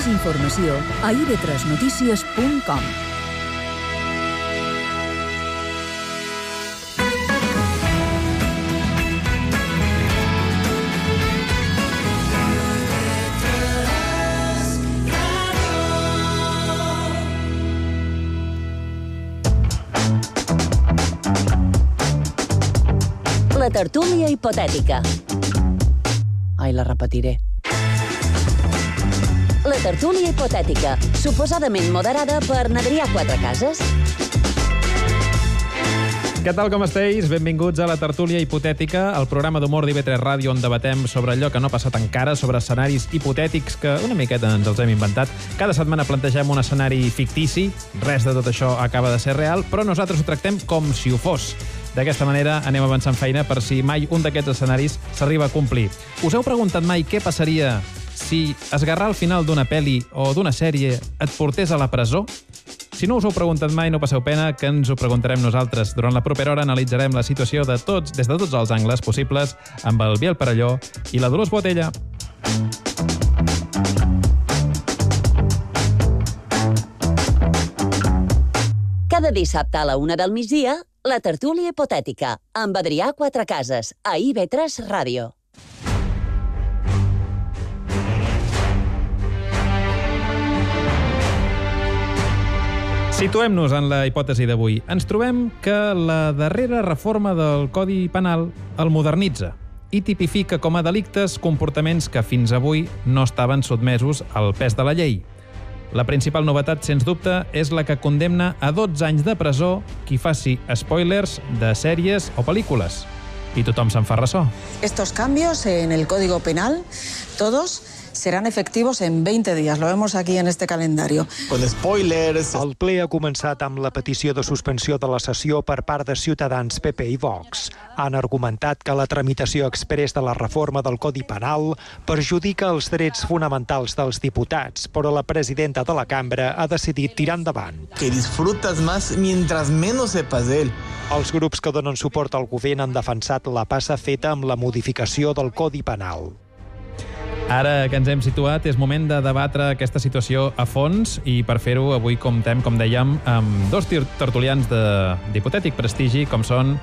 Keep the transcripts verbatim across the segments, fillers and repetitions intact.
Més informació a i ve tres notícies punt com. La tertúlia hipotètica. Ai, la repetiré. La tertúlia hipotètica, suposadament moderada per Adrià Quatrecases. Què tal, com esteu? Benvinguts a la tertúlia hipotètica, el programa d'humor d'I V tres Ràdio on debatem sobre allò que no ha passat encara, sobre escenaris hipotètics que una miqueta ens els hem inventat. Cada setmana plantegem un escenari fictici, res de tot això acaba de ser real, però nosaltres ho tractem com si ho fos. D'aquesta manera anem avançant feina per si mai un d'aquests escenaris s'arriba a complir. Us heu preguntat mai què passaria si esgarrar al final d'una pel·li o d'una sèrie et portés a la presó? Si no us ho heu preguntat mai, no passeu pena, que ens ho preguntarem nosaltres. Durant la propera hora analitzarem la situació de tots, des de tots els angles possibles amb el Biel Perelló i la Dolors Botella. Cada dissabte a la una del migdia, la tertúlia hipotètica, amb Adrià Quatrecases, a I V tres Ràdio. Situem-nos en la hipòtesi d'avui. Ens trobem que la darrera reforma del Codi Penal el modernitza i tipifica com a delictes comportaments que fins avui no estaven sotmesos al pes de la llei. La principal novetat, sens dubte, és la que condemna a dotze anys de presó qui faci spoilers de sèries o pel·lícules. I tothom se'n fa ressò. Estos cambios en el Código Penal, todos serán efectivos en veinte días. Lo vemos aquí en este calendario. Con spoilers. El ple ha començat amb la petició de suspensió de la sessió per part de Ciutadans, P P i Vox. Han argumentat que la tramitació exprés de la reforma del Codi Penal perjudica els drets fonamentals dels diputats, però la presidenta de la cambra ha decidit tirar endavant. Que disfrutas más mientras menos sepas de él. Els grups que donen suport al govern han defensat la passa feta amb la modificació del Codi Penal. Ara que ens hem situat, és moment de debatre aquesta situació a fons i per fer-ho avui comptem, com dèiem, amb dos tertulians d'hipotètic prestigi, com són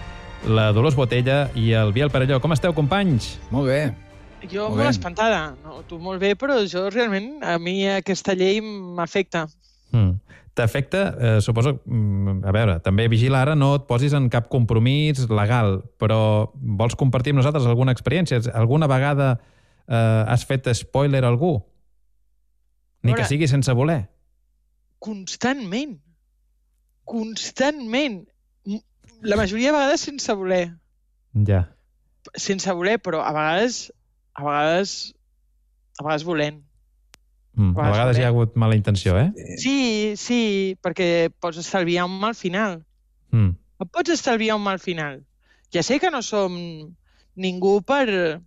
la Dolors Botella i el Biel Perelló. Com esteu, companys? Molt bé. Jo molt, molt espantada. No, tu molt bé, però jo realment, a mi aquesta llei m'afecta. Mm. T'afecta, eh, suposo, a veure, també vigila ara, no et posis en cap compromís legal, però vols compartir amb nosaltres alguna experiència? Alguna vegada Uh, has fet spoiler a algú? Ni que sigui sense voler. Constantment. Constantment. La majoria de vegades sense voler. Ja. Sense voler, però a vegades a vegades a vegades volent. Mm, a vegades, a vegades hi ha hagut mala intenció, eh? Sí, sí, perquè pots estalviar un mal final. Mm. Pots estalviar un mal final. Ja sé que no som ningú per...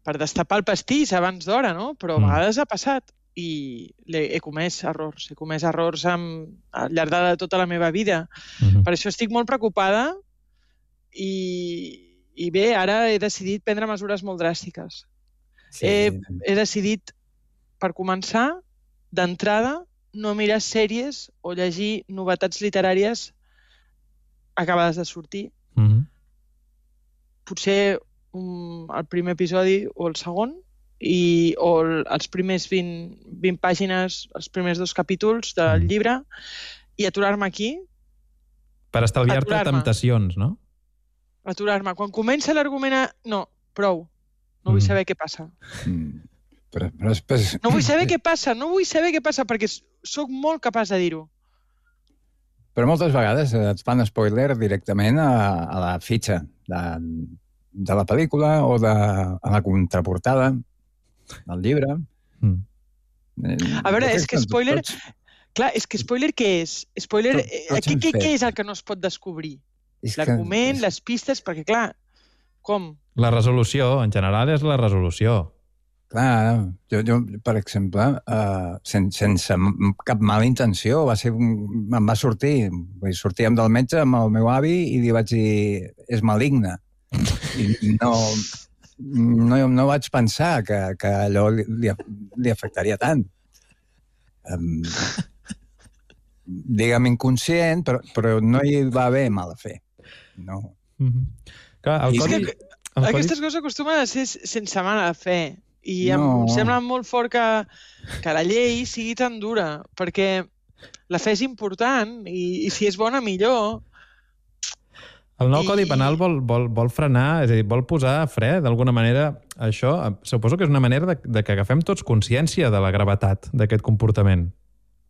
per destapar el pastís abans d'hora, no? Però a vegades ha passat i he comès errors. He comès errors amb, al llarg de tota la meva vida. Mm-hmm. Per això estic molt preocupada i, i bé, ara he decidit prendre mesures molt dràstiques. Sí. He, he decidit, per començar, d'entrada, no mirar sèries o llegir novetats literàries acabades de sortir. Mm-hmm. Potser Um, el primer episodi o el segon i, o el, els primers vint, vint pàgines, els primers dos capítols del mm. llibre i aturar-me aquí. Per estalviar-te temptacions, no? Aturar-me. Quan comença l'argument a... No, prou. No vull mm. saber què passa. Mm. Però, però després... No vull saber què passa, no vull saber què passa perquè sóc molt capaç de dir-ho. Però moltes vegades et fan spoiler directament a, a la fitxa de... de la pel·lícula o de a la contraportada del llibre. Mm. A veure, és que spoiler... Tots... Clar, és que spoiler què és? Spoiler... Tot, tots què, què, què és el que no es pot descobrir? L'argument, que... les pistes, perquè clar, com? La resolució, en general, és la resolució. Clar, jo, jo per exemple, uh, sen, sense cap mala intenció, va ser un, em va sortir, sortíem del metge amb el meu avi i li vaig dir, és maligne. I no, no, no vaig pensar que, que allò li, li, li afectaria tant. Um, digue'm inconscient, però, però no hi va haver mala fe. No. Mm-hmm. Clar, el I codi... és que el aquestes codi... coses acostumen a ser sense mala fe. I No. em sembla molt fort que, que la llei sigui tan dura, perquè la fe és important i, i si és bona, millor. El nou I- Codi Penal vol, vol, vol frenar, és a dir, vol posar fre, d'alguna manera, això. Suposo que és una manera de, de que agafem tots consciència de la gravetat d'aquest comportament.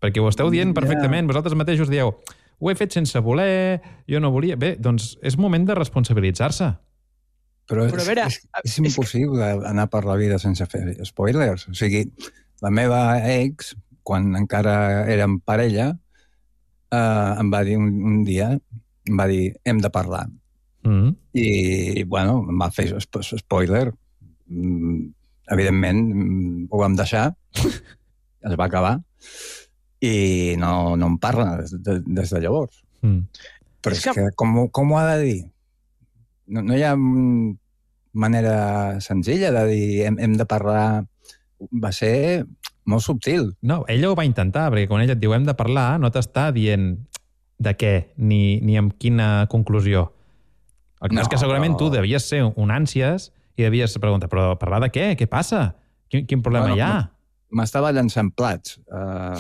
Perquè ho esteu dient perfectament, vosaltres mateixos dieu, ho he fet sense voler, jo no volia... Bé, doncs és moment de responsabilitzar-se. Però, Però a és, veure, és, és és que- impossible anar per la vida sense fer spoilers. O sigui, la meva ex, quan encara érem parella, eh, em va dir un, un dia, em va dir, hem de parlar. Mm. I, bueno, em va fer sp spoiler. Mm, evidentment, mm, ho vam deixar, es va acabar, i no, no em parla des de, des de llavors. Mm. Però És és que- que, com, ho- com ho ha de dir? No, no hi ha mm, manera senzilla de dir hem, hem de parlar... Va ser molt subtil. No, ella ho va intentar, perquè quan ella et diu hem de parlar, no t'està dient de què, ni, ni amb quina conclusió. El que no, és que No, segurament però- tu devies ser un ànsies i devies preguntar, però parlar de què? Què passa? Quin, quin problema Bueno, hi ha? M'estava llançant plats, uh,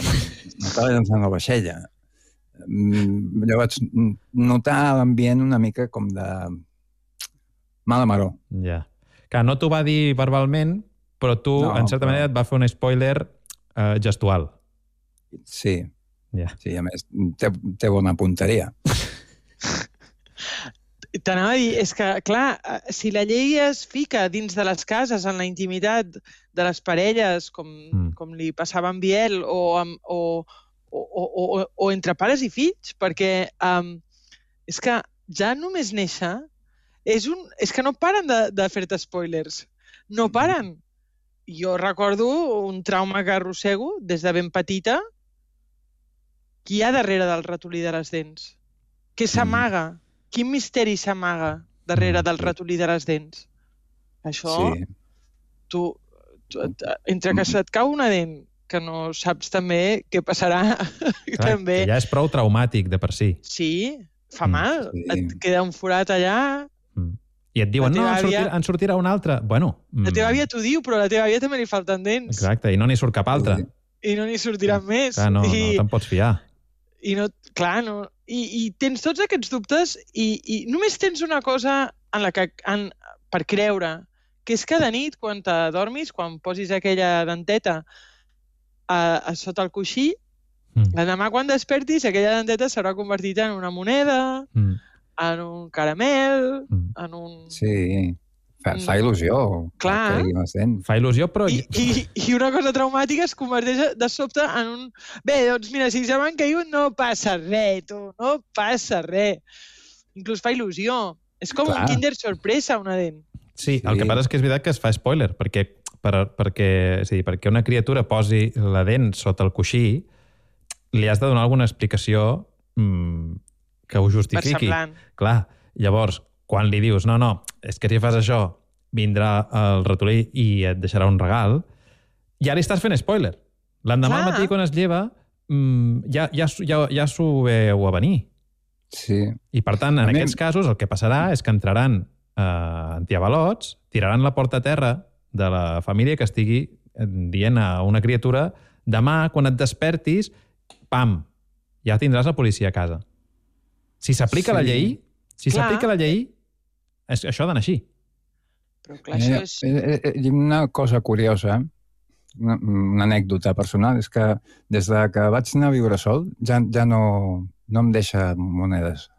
m'estava llançant la vaixella. Mm, llavors, mm, notar l'ambient una mica com de mala maror. Ja. Que no t'ho va dir verbalment, però tu, No, en certa però- manera, et va fer un spoiler eh, gestual. Sí, Ja. sí, a més, té, té bona punteria. T'anava a dir, és que, clar, eh, si la llei es fica dins de les cases, en la intimitat de les parelles, com, Mm. com li passava amb Biel, o, amb, o, o, o, o, o entre pares i fills, perquè um, és que ja només néixer és, un, és que no paren de, de fer-te spoilers. No paren. Jo recordo un trauma que arrossego des de ben petita. Qui hi ha darrere del ratolí de les dents? Què s'amaga? Quin misteri s'amaga darrere Mm, del sí. ratolí de les dents? Això, Sí. tu, tu, entre que se't cau una dent, que no saps també què passarà, Clar, també. que ja és prou traumàtic de per si. Sí, fa Mm, mal. sí. Et queda un forat allà. Mm. I et diuen, La no, teva en sortirà, àvia- en sortirà un altre. Bueno, mm, La teva àvia t'ho diu, però a la teva àvia també li falten dents. exacte, i no n'hi surt cap altre. Sí. I no n'hi sortiran més. Clar, no, I, no te'n pots fiar. I no, clar, no. I, i tens tots aquests dubtes i, i només tens una cosa en la que, en, per creure, que és que de nit, quan t'adormis, quan posis aquella denteta a, a sota el coixí, Mm. l'endemà quan despertis, aquella denteta s'haurà convertit en una moneda, Mm. en un caramel, Mm. en un... Sí, fa, fa il·lusió. Clar. Que les dents. Fa il·lusió, però... I, i, I una cosa traumàtica es converteix de sobte en un... Bé, doncs mira, si se m'han caigut no passa res, tu, no passa res. Inclús fa il·lusió. És com Clar. un Kinder sorpresa, una dent. Sí, el Sí. que passa és que és veritat que es fa spoiler, perquè, per, perquè, és a dir, perquè una criatura posi la dent sota el coixí, li has de donar alguna explicació mm, que ho justifiqui. Versemblant. Clar, llavors, quan li dius, no, no, és que si fas això, vindrà el ratolí i et deixarà un regal, ja li estàs fent spoiler. L'endemà al Clar. matí, quan es lleva, mm, ja, ja, ja, ja s'ho veu a venir. Sí. I, per tant, en A mi- aquests casos, el que passarà és que entraran eh, antiavalots, tiraran la porta a terra de la família que estigui eh, dient a una criatura demà, quan et despertis, pam, ja tindràs la policia a casa. Si s'aplica Sí. la llei, si Clar. s'aplica la llei, és, això ha d'anar així. Però clar, això Eh, és... eh, eh, I una cosa curiosa, una, una anècdota personal, és que des de que vaig anar a viure sol ja, ja no, no em deixa monedes.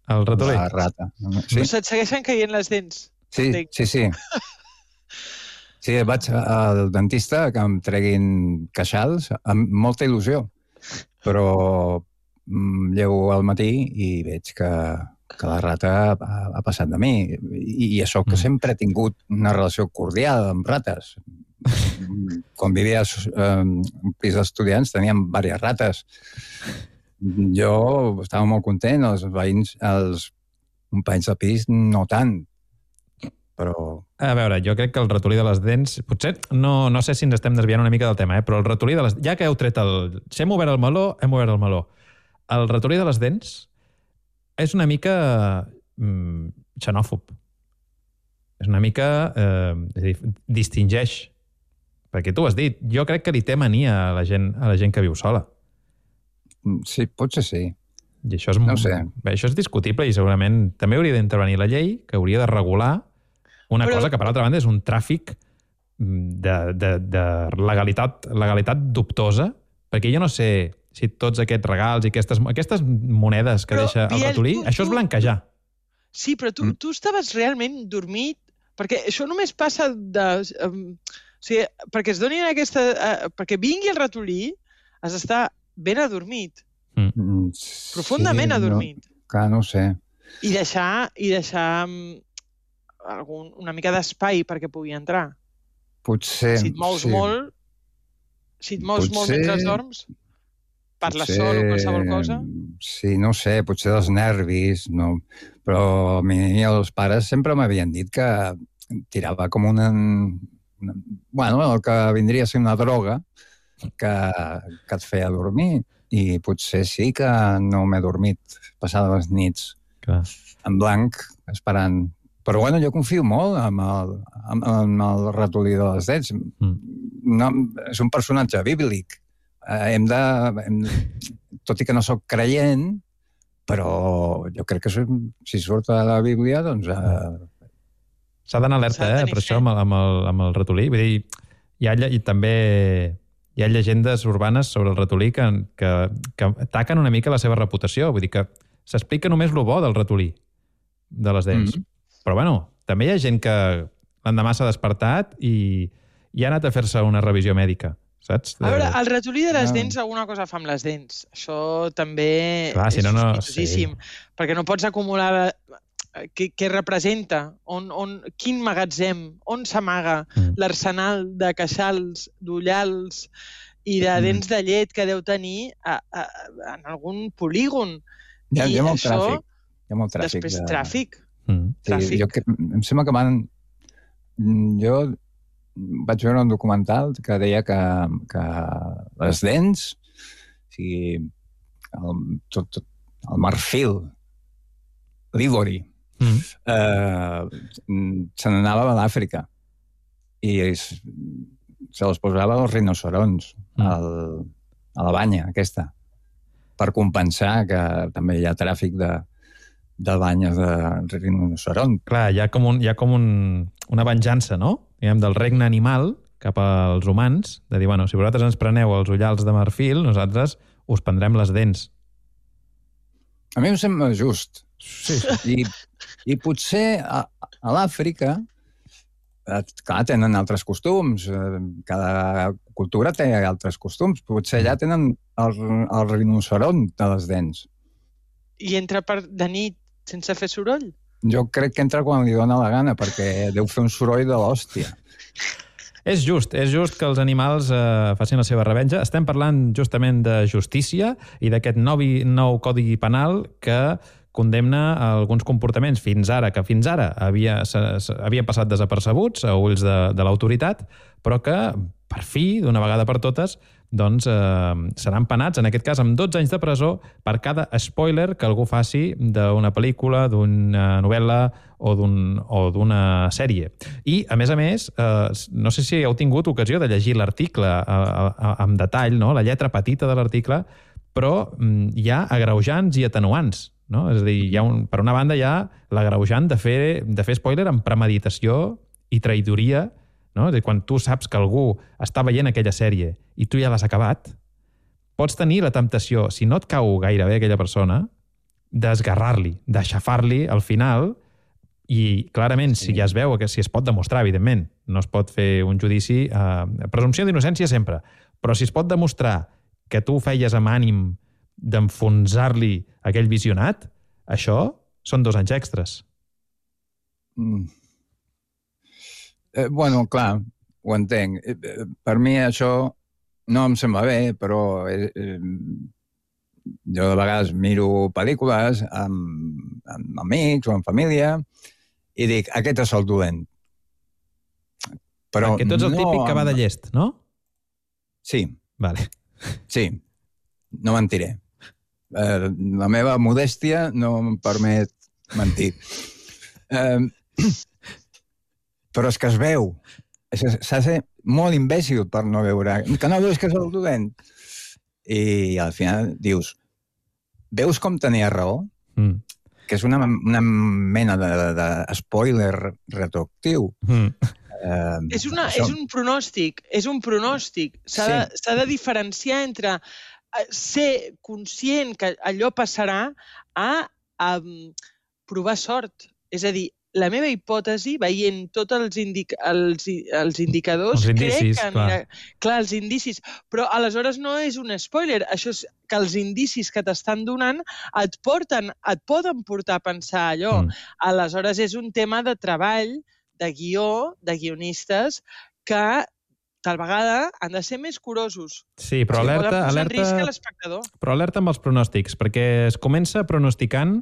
El ratolí. La rata. Sí? Sí, Se't segueixen caient les dents. sí, entenc. sí, sí. Sí, vaig al dentista que em treguin queixals amb molta il·lusió, però mm, llego al matí i veig que, que la rata ha, ha passat de mi. I, i això que Mm. sempre he tingut una relació cordial amb rates. Quan vivia eh, en un pis d'estudiants teníem diverses rates. Jo estava molt content, els veïns, els companys de pis no tant. però... A veure, jo crec que el ratolí de les dents... Potser, no, no sé si ens estem desviant una mica del tema, eh? Però el ratolí de les... Ja que heu tret el... Si hem obert el meló, hem obert el meló. El ratolí de les dents és una mica mm, xenòfob. És una mica... Eh, és a dir, distingeix. Perquè tu has dit, jo crec que li té mania a la gent, a la gent que viu sola. Sí, potser sí. I això és, no sé. Bé, això és discutible i segurament també hauria d'intervenir la llei, que hauria de regular una Però... cosa que, per altra banda, és un tràfic de, de, de legalitat, legalitat dubtosa, perquè jo no sé si tots aquests regals i aquestes, aquestes monedes que però, deixa el ratolí, tu, això és blanquejar. Sí, però tu, mm. tu estaves realment dormit, perquè això només passa de... Um, o sigui, perquè es donin aquesta... Uh, perquè vingui el ratolí, has d'estar ben adormit. Mm. Profundament sí, adormit. No, clar, no ho sé. I deixar, i deixar um, algun, una mica d'espai perquè pugui entrar. Potser... Si et mous sí. molt, si et mous potser, molt mentre dorms, parles potser, sol o qualsevol cosa... Sí, no sé, potser dels nervis, no. Però a mi els pares sempre m'havien dit que tirava com una... una bueno, el que vindria a ser una droga que, que et feia dormir. I potser sí que no m'he dormit passades les nits Clar. en blanc, esperant. Però bueno, jo confio molt en el, en, en el ratolí de les dents. Mm. No, és un personatge bíblic. Eh, hem de... Hem, tot i que no sóc creient, però jo crec que si surt a la Bíblia, doncs... Eh... S'ha d'anar alerta, eh, per això, amb el, amb, el, amb el ratolí. Vull dir, hi ha i també... Hi ha llegendes urbanes sobre el ratolí que, que, que ataquen una mica la seva reputació. Vull dir que s'explica només lo bo del ratolí, de les dents. Mm. Però, bueno, també hi ha gent que l'endemà s'ha despertat i, i ha anat a fer-se una revisió mèdica, saps? A veure, el ratolí de les dents alguna cosa fa amb les dents. Això també Clar, és si no, no, sospitosíssim. Sí. Perquè no pots acumular... Què, què representa, on, on, quin magatzem, on s'amaga mm. l'arsenal de queixals, d'ullals i de dents mm. de llet que deu tenir a, a, a, en algun polígon. Hi ha, I hi ha molt això, tràfic. Hi ha molt tràfic. Després de... tràfic. Mm. tràfic. Sí, jo, que, em sembla que van... Jo vaig veure un documental que deia que, que les dents, o sigui, el, tot, tot, el marfil, l'ivori, Mm. Eh, se n'anava a l'Àfrica i es, se les posava als rinocerons mm. al, a la banya aquesta per compensar que també hi ha tràfic de, de banyes de rinoceron. Clar, hi ha com, un, hi ha com un, una venjança, no? Diguem, del regne animal cap als humans, de dir, bueno, si vosaltres ens preneu els ullals de marfil, nosaltres us prendrem les dents. A mi em sembla just. Sí. I, i potser a, a l'Àfrica, clar, tenen altres costums, cada cultura té altres costums, potser allà tenen el, el rinoceron de les dents. I entra per de nit sense fer soroll? Jo crec que entra quan li dóna la gana, perquè deu fer un soroll de l'hòstia. És just, és just que els animals eh, facin la seva revenja. Estem parlant justament de justícia i d'aquest nou, nou codi penal que condemna alguns comportaments fins ara, que fins ara havia, havien passat desapercebuts a ulls de, de l'autoritat, però que, per fi, d'una vegada per totes, doncs eh, seran penats, en aquest cas, amb dotze anys de presó per cada spoiler que algú faci d'una pel·lícula, d'una novel·la o d'una sèrie. I, a més a més, eh, no sé si heu tingut ocasió de llegir l'article amb detall, no? La lletra petita de l'article, però mm, hi ha agreujants i atenuants. No? És a dir, hi ha un, per una banda hi ha l'agreujant de fer, de fer spoiler amb premeditació i traïdoria, no? És a dir, quan tu saps que algú està veient aquella sèrie i tu ja l'has acabat, pots tenir la temptació, si no et cau gaire bé aquella persona, d'esgarrar-li, d'aixafar-li al final i clarament sí. Si ja es veu, que si es pot demostrar, evidentment, no es pot fer un judici, eh, presumpció d'innocència sempre, però si es pot demostrar que tu feies amb ànim d'enfonsar-li aquell visionat, això són dos anys extras. Mm. Eh, bueno, clar, ho entenc. Eh, per mi això no em sembla bé, però eh, eh, jo de vegades miro pel·lícules amb, amb amics o amb família i dic, aquest és el dolent. Però Perquè tu ets el no típic que va de amb- llest, no? Sí, Vale. sí, no mentiré. Eh, la meva modèstia no em permet mentir. Eh, però és que es veu. És que s'ha de ser molt imbècil per no veure. Que no veus que és el dolent? I al final dius, veus com tenia raó? Mm. Que és una, una mena de, de, de spoiler retroactiu. Mm. Eh, És, una, això- és un pronòstic, és un pronòstic. S'ha Sí. de, s'ha de diferenciar entre eh, ser conscient que allò passarà a, a provar sort. És a dir, la meva hipòtesi, veient tots els, indic els, els indicadors, Els indicis, crec que clar. anirà... Clar, els indicis. Però aleshores no és un spoiler. Això és que els indicis que t'estan donant et porten, et poden portar a pensar allò. Mm. Aleshores és un tema de treball, de guió, de guionistes, que tal vegada han de ser més curosos. Sí, però Poden alerta, posar en risc a alerta, l'espectador. però alerta amb els pronòstics, perquè es comença pronosticant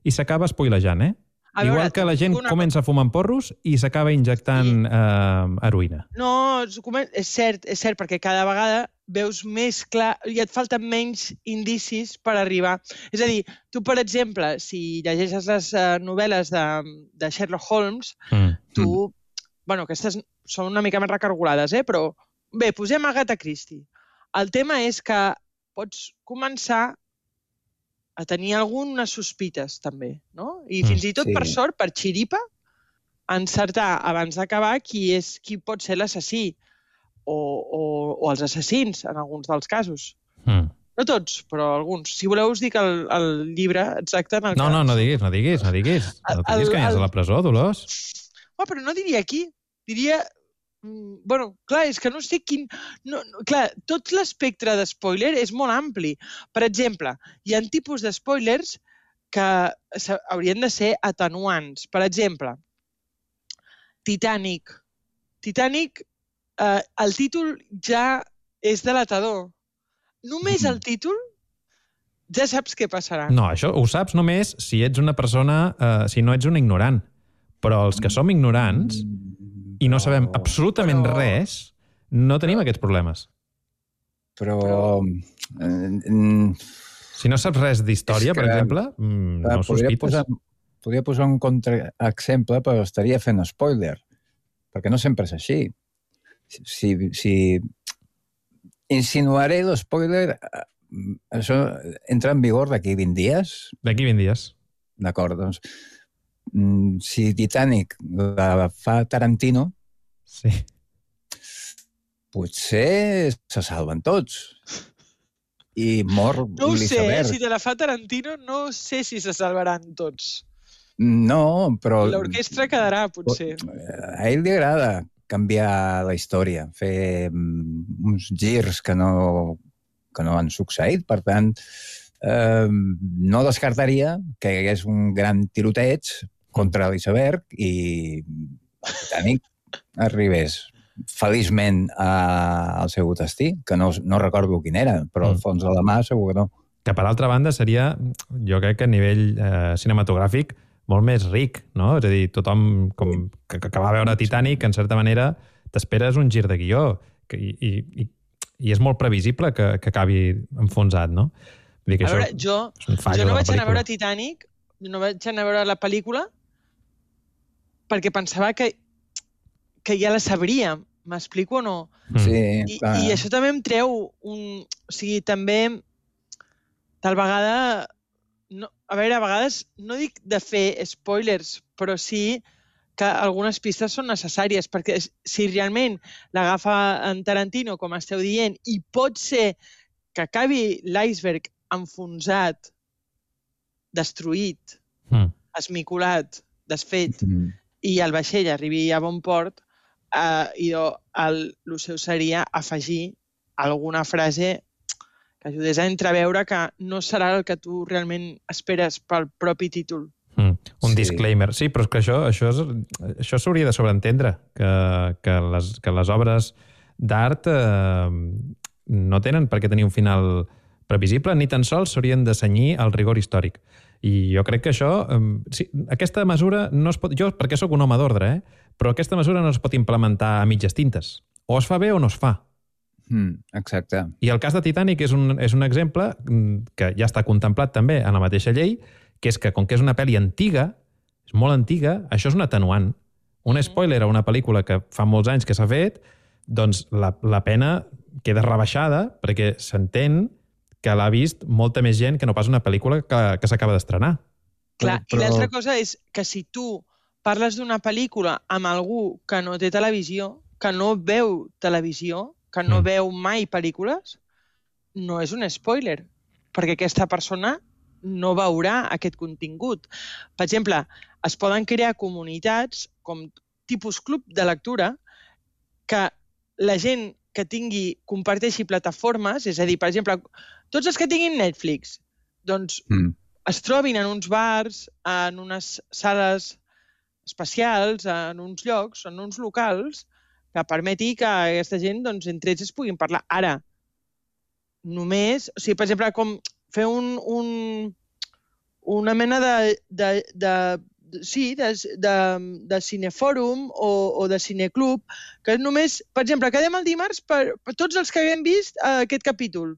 i s'acaba spoilejant, eh? A Igual veure, que la gent una comença fumant porros i s'acaba injectant eh, heroïna. No, és comen- és cert, és cert, perquè cada vegada veus més clar i et falten menys indicis per arribar. És a dir, tu, per exemple, si llegeixes les uh, novel·les de, de Sherlock Holmes, Mm. tu... Bueno, aquestes són una mica més recargolades, eh? Però bé, posem Agatha Christie. El tema és que pots començar a tenir algunes sospites, també, no? I Mm, fins i tot, sí. per sort, per xiripa, encertar abans d'acabar qui és qui pot ser l'assassí o, o, o els assassins, en alguns dels casos. Mm. No tots, però alguns. Si voleu, us dic el, el llibre exacte en el No, que... no, no diguis, no diguis, no diguis. No El- diguis que aniràs el- a la presó, Dolors. Oh, però no diria aquí. Diria... mm, Bueno, clar, és que no sé quin... No, no, clar, tot l'espectre de spoiler és molt ampli. Per exemple, hi ha tipus de spoilers que s'ha- haurien de ser atenuants. Per exemple, Titanic. Titanic, eh, el títol ja és delatador. Només el títol ja saps què passarà. No, això ho saps només si ets una persona, eh, si no ets un ignorant. Però els que som ignorants i no sabem absolutament Però- res, no tenim aquests problemes. Però... eh, mm, Si no saps res d'història, És que- per exemple, mm, Clar, no podria sospites. posar, podria posar un contraexemple, però estaria fent spoiler, perquè no sempre és així. Si, si insinuaré l'espoiler, eh, això entra en vigor d'aquí vint dies, D'aquí vint dies. d'acord, doncs, mm, si Titanic la fa Tarantino, Sí. potser se salven tots. I mor No ho sé, eh? l'iceberg. Si te la fa Tarantino, no sé si se salvaran tots. No, però... L'orquestra quedarà, potser. A ell li agrada canviar la història, fer mm, uns girs que no, que no han succeït. Per tant, eh, no descartaria que hi hagués un gran tiroteig contra l'iceberg i el Titanic arribés feliçment a, al seu destí, que no, no recordo quin era, però al Mm. fons de la mà segur que no. Que, per altra banda, seria, jo crec que a nivell eh, cinematogràfic, molt més ric, no? És a dir, tothom com, que, que va veure Titanic, en certa manera, t'esperes un gir de guió que, i, i, i és molt previsible que, que acabi enfonsat, no? Vull dir que A veure, això jo, és un fallo jo no de la vaig anar a veure pel·lícula. Titanic, no vaig anar a veure la pel·lícula perquè pensava que, que ja la sabria. M'explico o no? Mm. Sí, I, clar. I això també em treu un... O sigui, també tal vegada... No, a veure, a vegades no dic de fer spoilers, però sí que algunes pistes són necessàries, perquè si realment l'agafa en Tarantino, com esteu dient, i pot ser que acabi l'iceberg enfonsat, destruït, Mm. esmicolat, desfet, Mm. i el vaixell arribi a bon port, eh, i jo, el, el seu seria afegir alguna frase que ajudés a entreveure que no serà el que tu realment esperes pel propi títol. Mm. Un Sí. disclaimer. Sí, però és que això això és- això s'hauria de sobreentendre, que, que, les, que les obres d'art eh, no tenen per què tenir un final previsible, ni tan sols s'haurien de cenyir al rigor històric. I jo crec que això... Eh, sí, aquesta mesura no es pot... Jo, perquè sóc un home d'ordre, eh? Però aquesta mesura no es pot implementar a mitges tintes. O es fa bé o no es fa. Mm, exacte. I el cas de Titanic és un, és un exemple que ja està contemplat també en la mateixa llei, que és que, com que és una pel·li antiga, és molt antiga, això és un atenuant. Un spoiler a una pel·lícula que fa molts anys que s'ha fet, doncs la, la pena queda rebaixada perquè s'entén que l'ha vist molta més gent que no pas una pel·lícula que, que s'acaba d'estrenar. Clar, Però- i l'altra cosa és que si tu parles d'una pel·lícula amb algú que no té televisió, que no veu televisió, que no Mm. veu mai pel·lícules, no és un spoiler, perquè aquesta persona no veurà aquest contingut. Per exemple, es poden crear comunitats com tipus club de lectura que la gent que tingui, comparteixi plataformes, és a dir, per exemple, tots els que tinguin Netflix, doncs Mm. es trobin en uns bars, en unes sales especials, en uns llocs, en uns locals, que permeti que aquesta gent, doncs, entre ells es puguin parlar. Ara, només... O sigui, per exemple, com fer un, un, una mena de... de, de sí, de, de, de cinefòrum o, o de cineclub, que només, per exemple, quedem el dimarts per, per tots els que haguem vist eh, aquest capítol.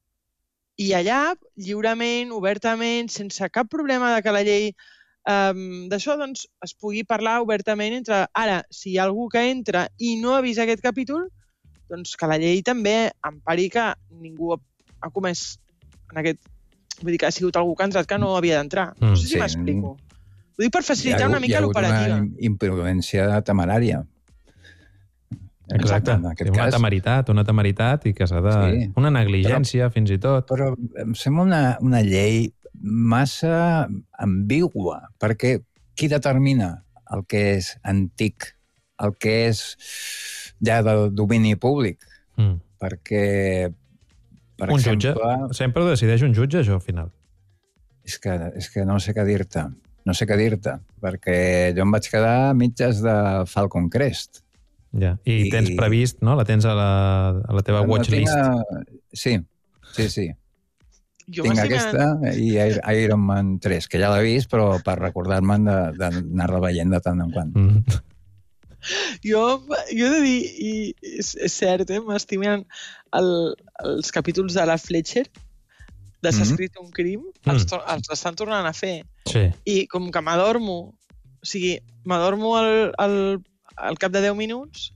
I allà, lliurement, obertament, sense cap problema de que la llei um, d'això, doncs, es pugui parlar obertament entre... Ara, si hi ha algú que entra i no ha vist aquest capítol, doncs que la llei també empari que ningú ha, ha comès en aquest... Vull dir que ha sigut algú que ha entrat que no havia d'entrar. No sé si Sí. m'explico. Ho dic per Hi ha facilitar hagut- una mica l'operativa. Hi ha hagut una imprudència temerària. Exacte. En aquest una cas. temeritat, una temeritat i que s'ha de... Sí. Una negligència, però, fins i tot. Però em sembla una, una llei massa ambigua, perquè qui determina el que és antic, el que és ja del domini públic? Mm. Perquè, per Un exemple... jutge. Sempre ho decideix un jutge, això, al final. És que, és que no sé què dir-te. No sé què dir-te, perquè jo em vaig quedar a mitges de Falcon Crest. Ja. I, I- tens previst, no? La tens a la, a la teva No watchlist. tinc, eh, Sí, sí, sí. Jo Tinc m'estic aquesta i Ir- Iron Man tres, que ja l'he vist, però per recordar-me'n de- d'anar-la veient de tant en quant. Mm. Jo, jo he de dir, i és, és cert, eh? m'estimen el, els capítols de la Fletcher, de S'ha Mhm. escrit un crim, els, to- els estan tornant a fer. Sí. I com que m'adormo, o sigui, m'adormo al, al, al cap de deu minuts,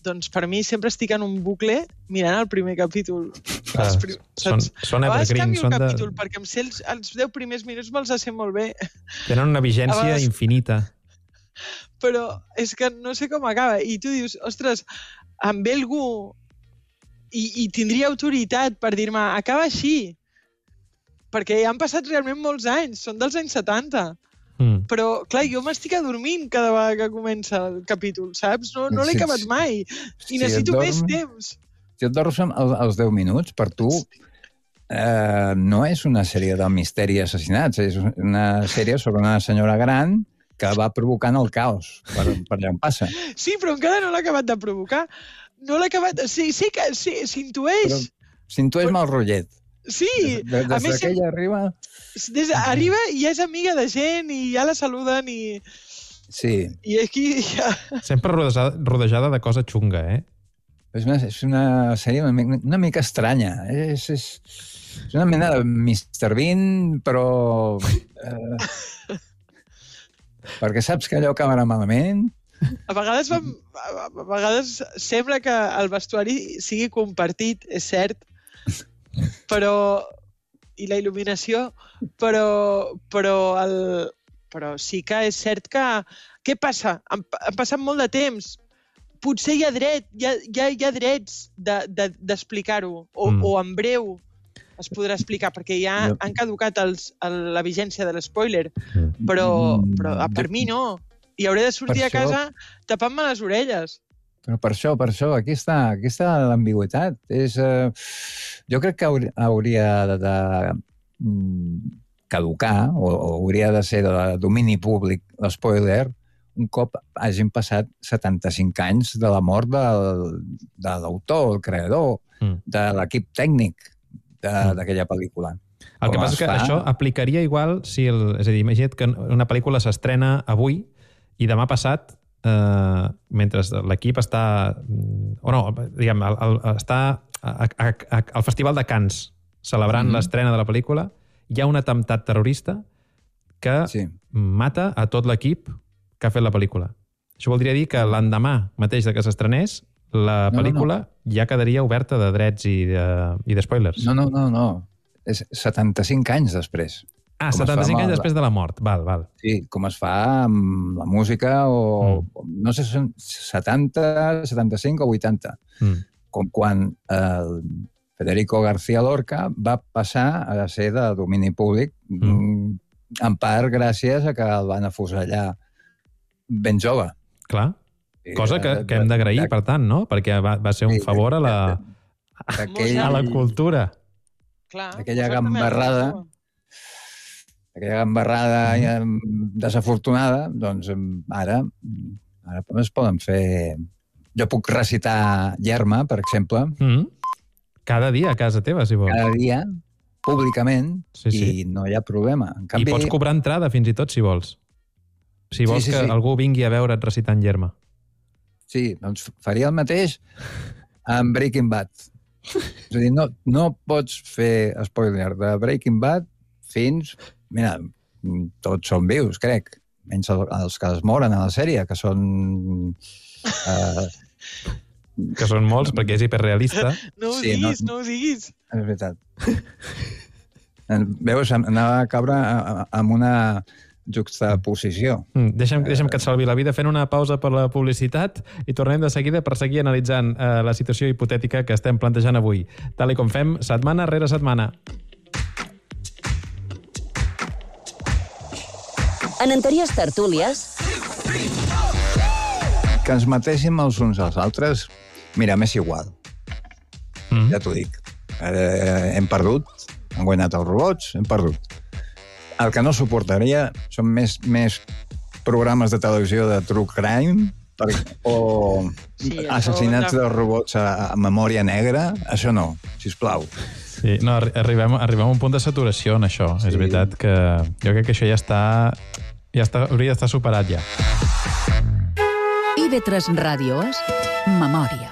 doncs per mi sempre estic en un bucle mirant el primer capítol. Clar, Els prim- són, saps? són A vegades evergreen, canvio el són de... capítol, perquè em sé els, els deu primers minuts me'ls sé molt bé. Tenen una A vigència vegades- infinita. Però és que no sé com acaba. I tu dius, ostres, em ve algú i, i tindria autoritat per dir-me, acaba així. Perquè ja han passat realment molts anys, són dels anys setanta. Mm. Però, clar, jo m'estic adormint cada vegada que comença el capítol, saps? No, no l'he Sí, acabat sí. mai. Si I necessito et més dorms- temps. Si et dorms amb el- als deu minuts, per tu eh, no és una sèrie de misteri i assassinats, és una sèrie sobre una senyora gran que va provocant el caos per, per allà on passa. Sí, però encara no l'he acabat de provocar. No l'he acabat... Sí, sí que sí, s'intueix. Però s'intueix mal rotllet. Sí, Des, a des més, que ella arriba... des, arriba i ja és amiga de gent i ja la saluden i, Sí, i aquí ja... Sempre rodejada, rodejada de cosa xunga, eh? és una, és una sèrie una, mica- una mica estranya. És, és, és una mena de mister Bean, però... Eh, perquè saps que allò acabarà malament. A vegades, vam, a a vegades sembla que el vestuari sigui compartit, és cert, però i la il·luminació, però, però, el, però sí que és cert que... Què passa? Han, han passat molt de temps. Potser hi ha dret, hi ha, hi ha, hi ha drets d'explicar-ho, de, de, o, Mm. mm. o en breu es podrà explicar, perquè ja Jo- han caducat els, el, la vigència de l'espoiler, però, però ah, per mi no. I hauré de sortir Per a casa tapant-me les orelles. Però per això, per això, aquí està, aquí està l'ambigüitat. És, eh, jo crec que hauri- hauria de, de mm, caducar, o, o hauria de ser de domini públic, l'espoiler, un cop hagin passat setanta-cinc anys de la mort del, de l'autor, el creador, Mm. de l'equip tècnic de- Mm. d'aquella pel·lícula. El que Com passa es és que fa? això aplicaria igual si... El, és a dir, imagina't que una pel·lícula s'estrena avui i demà passat eh, mentre l'equip està... O no, diguem, el, el, està a, a, a, al Festival de Cannes, celebrant mm-hmm. l'estrena de la pel·lícula, hi ha un atemptat terrorista que sí. mata a tot l'equip que ha fet la pel·lícula. Això voldria dir que l'endemà mateix de que s'estrenés, la pel·lícula no, no, no. ja quedaria oberta de drets i de, i de spoilers. No, no, no, no. És setanta-cinc anys després. Ah, setanta-cinc anys després de la mort. Val, val. Sí, com es fa amb la música o... Mm. No sé si són setanta, setanta-cinc o vuitanta. Mm. Com quan el Federico García Lorca va passar a ser de domini públic, mm. en part gràcies a que el van afusellar ben jove. Clar. Cosa que, que hem d'agrair, per tant, no? Perquè va, va ser un favor a la, a la cultura. Clar, aquella gambarrada, aquella gambarrada mm. desafortunada, doncs ara, ara es poden fer... Jo puc recitar Yerma, per exemple. Mm. Cada dia a casa teva, si vols. Cada dia, públicament, sí, sí. i no hi ha problema. En canvi... I pots cobrar entrada, fins i tot, si vols. Si vols sí, sí, que sí. algú vingui a veure't recitant Yerma. Sí, doncs faria el mateix amb Breaking Bad. És a dir, no, no pots fer spoiler de Breaking Bad fins... Mira, tots són vius, crec. Menys els que es moren a la sèrie, que són... Uh... Que són molts, perquè és hiperrealista. No ho sí, diguis, no, no ho diguis. És veritat. Veus, anava a caure amb una juxtaposició. Mm, deixa'm, deixa'm que et salvi la vida fent una pausa per la publicitat i tornem de seguida per seguir analitzant eh, la situació hipotètica que estem plantejant avui, tal i com fem setmana rere setmana. En anteriors tertúlies... Que ens matéssim els uns als altres, mira, m'és igual. Mm. Ja t'ho dic. Eh, hem perdut, han guanyat els robots, hem perdut. El que no suportaria són més, més programes de televisió de true crime per, o sí, assassinats no... de robots a, a memòria negra. Això no, sisplau. Sí, no, arribem, arribem a un punt de saturació en això. Sí. És veritat que jo crec que això ja està... Ja està, hauria d'estar superat ja. I V tres Ràdio és Memòria.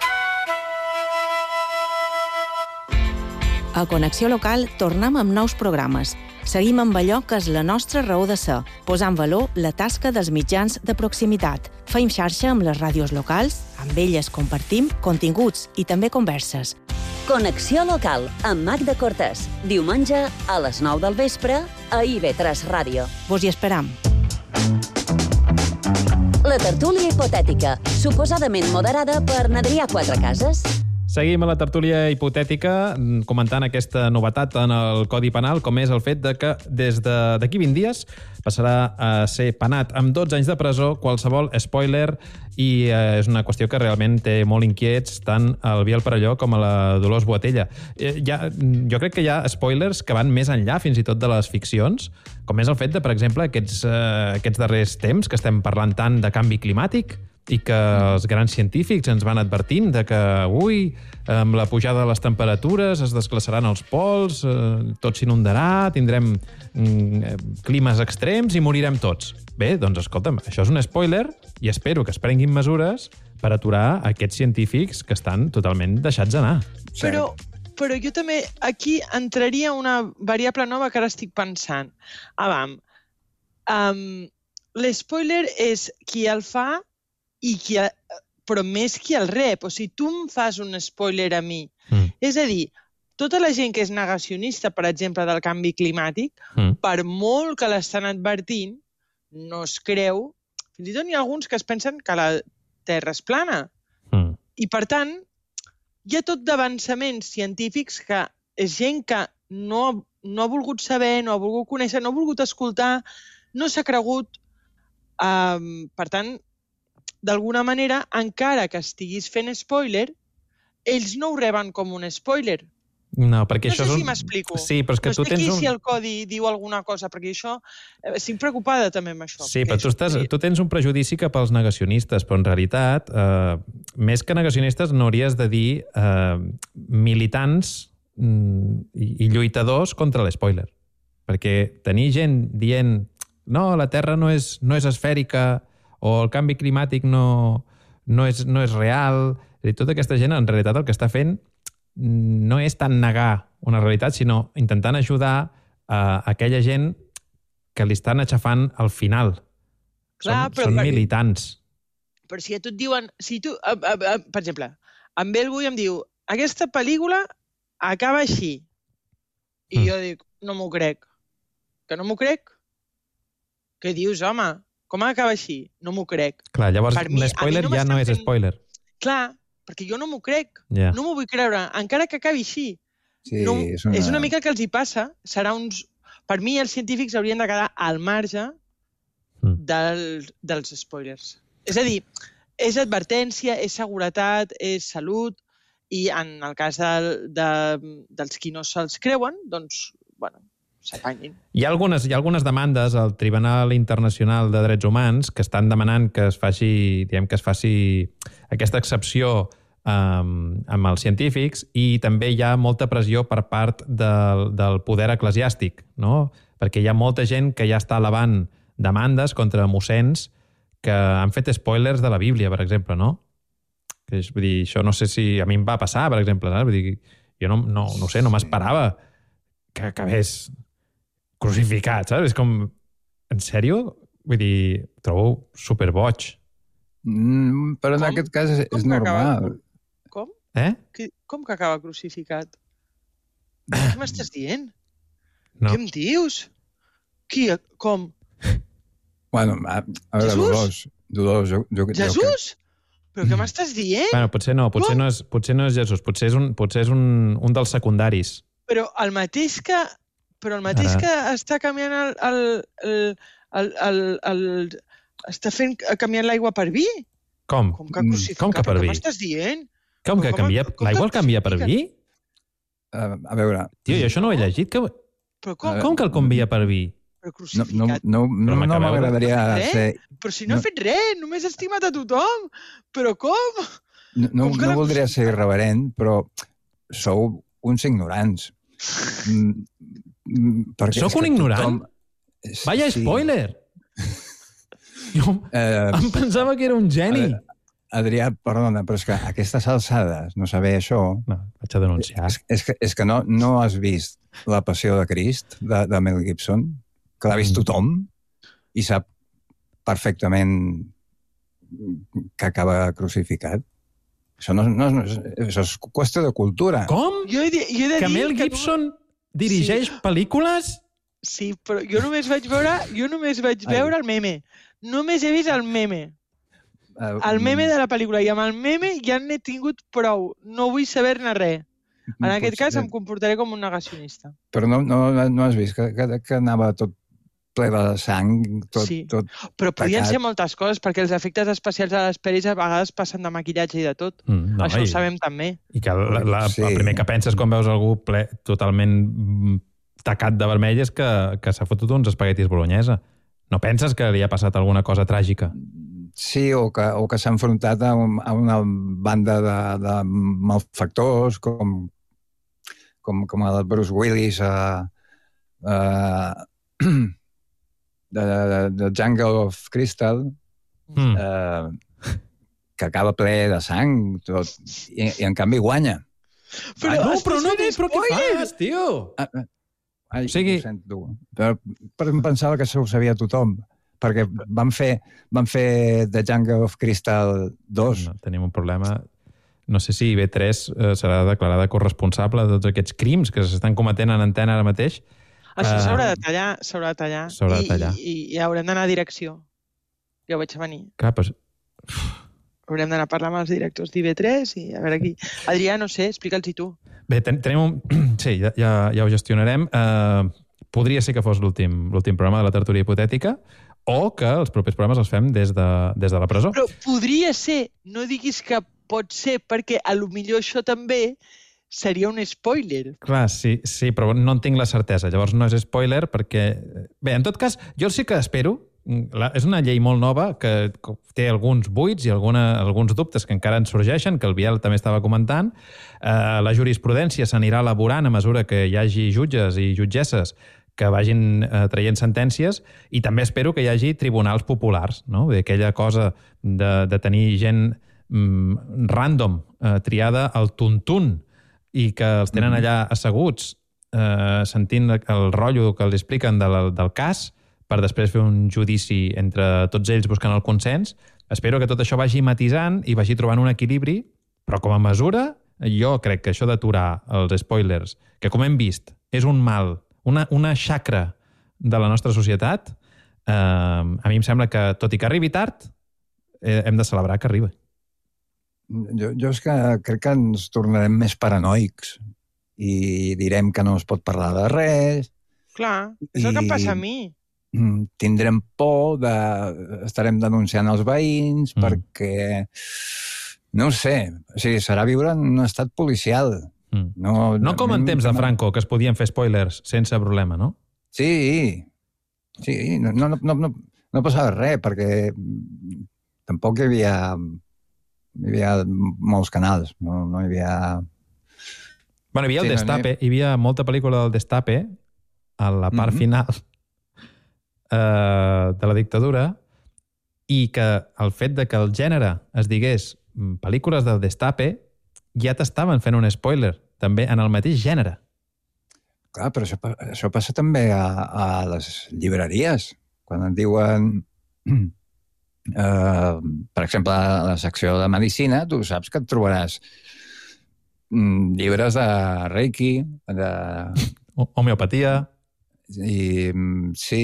A Connexió Local tornem amb nous programes. Seguim amb allò que és la nostra raó de ser, posant valor la tasca dels mitjans de proximitat. Feim xarxa amb les ràdios locals, amb elles compartim continguts i també converses. Connexió Local, amb Magda Cortés. Diumenge a les nou del vespre a I V tres Ràdio. Vos hi esperam. La tertúlia hipotètica, suposadament moderada per Adrià Quatrecases. Seguim a la tertúlia hipotètica comentant aquesta novetat en el Codi Penal, com és el fet de que des d'aquí vint dies passarà a ser penat amb dotze anys de presó qualsevol spoiler i eh, és una qüestió que realment té molt inquiets tant el Biel Perelló com a la Dolors Boatella. Eh, ja, jo crec que hi ha spoilers que van més enllà fins i tot de les ficcions, com és el fet de, per exemple, aquests, eh, aquests darrers temps que estem parlant tant de canvi climàtic i que els grans científics ens van advertint de que, ui, amb la pujada de les temperatures es desglaçaran els pols, eh, tot s'inundarà, tindrem mm, climes extrems i morirem tots. Bé, doncs escolta'm, això és un spoiler i espero que es prenguin mesures per aturar aquests científics que estan totalment deixats anar. Però, però jo també aquí entraria una variable nova que ara estic pensant. Avam, um, l'espoiler és qui el fa i qui, però més qui el rep. O sigui, tu em fas un spoiler a mi. Mm. És a dir, tota la gent que és negacionista, per exemple, del canvi climàtic, mm. per molt que l'estan advertint, no es creu. Fins i tot hi ha alguns que es pensen que la Terra és plana. Mm. I, per tant, hi ha tot d'avançaments científics que és gent que no, no ha volgut saber, no ha volgut conèixer, no ha volgut escoltar, no s'ha cregut. Um, per tant, d'alguna manera, encara que estiguis fent spoiler, ells no ho reben com un spoiler. No, perquè no això sé és un... si m'explico. Sí, però és que no tu sé tens aquí un... si el codi diu alguna cosa, perquè això... Estic preocupada també amb això. Sí, però tu, estàs, tu tens un prejudici cap als negacionistes, però en realitat, eh, més que negacionistes, no hauries de dir eh, militants mm, i, i lluitadors contra l'espoiler. Perquè tenir gent dient no, la Terra no és, no és esfèrica o el canvi climàtic no, no, és, no és real. És a dir, tota aquesta gent, en realitat, el que està fent no és tant negar una realitat, sinó intentant ajudar a aquella gent que li estan aixafant al final. Clar, són però són per- militants. Però si a tu et diuen... Si tu, a, a, a, per exemple, en Belbu em diu aquesta pel·lícula acaba així. I Mm. jo dic, no m'ho crec. Que no m'ho crec? Què dius, home? Com acaba així? No m'ho crec. Clar, llavors Per mi- un a mi spoiler no ja no m'estan és fent- spoiler. Clar, perquè jo no m'ho crec. Ja. No m'ho vull creure, encara que acabi així. Sí, no, és una... és una mica el que els hi passa. Serà uns... Per mi, els científics haurien de quedar al marge Mm. del, dels spoilers. És a dir, és advertència, és seguretat, és salut, i en el cas de, de, dels qui no se'ls creuen, doncs, bueno, s'apanyin. Hi ha, algunes, hi ha algunes demandes al Tribunal Internacional de Drets Humans que estan demanant que es faci, diguem, que es faci aquesta excepció um, amb els científics, i també hi ha molta pressió per part del, del poder eclesiàstic, no? Perquè hi ha molta gent que ja està elevant demandes contra mossens que han fet spoilers de la Bíblia, per exemple, no? Que és, vull dir, això no sé si a mi em va passar, per exemple, saps? Vull dir, jo no, no, no ho sé, no m'esperava que acabés crucificat, saps? És com, en sèrio? Vull dir, trobo superboig. Mm, però en Com? aquest cas és, Com és que acaba- normal. Com? Eh? Que, com que acaba crucificat? Què m'estàs dient? No. Què em dius? Qui? Com? Bueno, a, a veure, Jesús? Dolors, Dolors, jo, jo, jo, Jesús? Però què m'estàs dient? Bueno, potser no, potser Com? no és, potser no és Jesús, potser és un, potser és un, un dels secundaris. Però el mateix que... Però el mateix Ara. que està canviant el... el, el, el, el, el està fent canviant l'aigua per vi? Com? Com que Mm, crucificat? com que per Però vi? Què m'estàs dient? Com que com- canvia... com que L'aigua el canvia per crucifica? vi? Uh, a veure, Tio, jo això no ho he llegit. Que... Però com? Com que el canvia per vi? Però no, no, crucificat? no, no, no m'acabeu de- m'agradaria Eh? ser... Però si no, no. he fet res, només he estimat a tothom. Però com? No, no, Com que no la voldria ser crucificat? irreverent, però sou uns ignorants. Mm, mm, perquè Sóc és que un ignorant? tothom- Vaya Sí. spoiler! Jo Eh, em pensava que era un geni. a Adrià, perdona, però és que a aquestes alçades no saber això... No, vaig a denunciar. És, és, que, és que no, no has vist La Passió de Crist, de, de Mel Gibson, que l'ha vist Mm. tothom i sap perfectament que acaba crucificat. Això no, no, no és, això és qüestió de cultura. Com? Jo he, de- jo he de Que dir Mel que Gibson dirigeix pel·lícules? Sí, però jo només vaig veure, jo només vaig Ai. veure el meme. Només he vist el meme. Eh, El meme de la pel·lícula. I amb el meme ja n'he tingut prou. No vull saber-ne res. En aquest potser- cas em comportaré com un negacionista. Però no, no, no has vist que, que, que anava tot ple de sang, tot... Sí. tot... Però podien Tacat. ser moltes coses, perquè els efectes especials de les pel·lis a vegades passen de maquillatge i de tot. Mm, Això i, ho sabem també. I que la, la, Sí. el primer que penses quan veus algú ple, totalment mm, tacat de vermell és que, que s'ha fotut uns espaguetis bolognesa. No penses que li ha passat alguna cosa tràgica? Sí, o que, o que s'ha enfrontat a, un, a una banda de, de malfactors, com, com, com el Bruce Willis a, a, de, de, de Jungle of Crystal, Mm. eh, que acaba ple de sang, tot, i, i en canvi guanya. Ah, no, però no, estàs fent però què spoiler! fas, tio? Ah, ah, Ai, O sigui- ho sento. Però, però em pensava que això ho sabia tothom, perquè van fer, van fer The Jungle of Crystal dos. No, tenim un problema. No sé si I B tres eh, serà declarada corresponsable de tots aquests crims que s'estan cometent en antena ara mateix. Això Eh, s'haurà de tallar, s'haurà de tallar. s'haurà de I- tallar. I, i, i haurem d'anar a direcció. Ja ho veig a venir. Clar, però... Haurem d'anar a parlar amb els directors d'I B tres i a veure aquí. Adrià, no sé, explica'ls-hi tu. Bé, ten tenim un... Sí, ja, ja, ja ho gestionarem. Uh, podria ser que fos l'últim l'últim programa de la tertúlia hipotètica o que els propers programes els fem des de, des de la presó. Però podria ser, no diguis que pot ser, perquè a lo millor això també seria un spoiler. Clar, sí, sí, però no en tinc la certesa. Llavors no és spoiler perquè... Bé, en tot cas, jo sí que espero... La, és una llei molt nova que té alguns buits i alguna, alguns dubtes que encara ens sorgeixen, que el Biel també estava comentant. Eh, la jurisprudència s'anirà elaborant a mesura que hi hagi jutges i jutgesses que vagin eh, traient sentències, i també espero que hi hagi tribunals populars, no? Aquella cosa de, de tenir gent mm, random, eh, triada al tuntun, i que els tenen allà asseguts, eh, sentint el rotllo que els expliquen del, del cas, per després fer un judici entre tots ells buscant el consens. Espero que tot això vagi matisant i vagi trobant un equilibri, però com a mesura, jo crec que això d'aturar els spoilers, que com hem vist, és un mal, una, una xacra de la nostra societat, eh, a mi em sembla que, tot i que arribi tard, eh, hem de celebrar que arriba. Jo, jo és que crec que ens tornarem més paranoics i direm que no es pot parlar de res. Clar, és el que em passa a mi. Tindrem por, de... estarem denunciant els veïns, mm. perquè, no ho sé, o sigui, serà viure en un estat policial. Mm. No, no com en temps de Franco, que es podien fer spoilers sense problema, no? Sí, sí, no, no, no, no, no passava res, perquè tampoc hi havia, hi havia molts canals, no, no hi havia... Bueno, hi havia el sí, Destape, no, no hi... hi havia molta pel·lícula del Destape, a la part mm-hmm. final eh, de la dictadura, i que el fet de que el gènere es digués pel·lícules del Destape ja t'estaven fent un spoiler, també en el mateix gènere. Clar, però això, això passa també a, a les llibreries. Quan et diuen, eh, per exemple, a la secció de medicina, tu saps que et trobaràs llibres de Reiki, de... Homeopatia. I sí,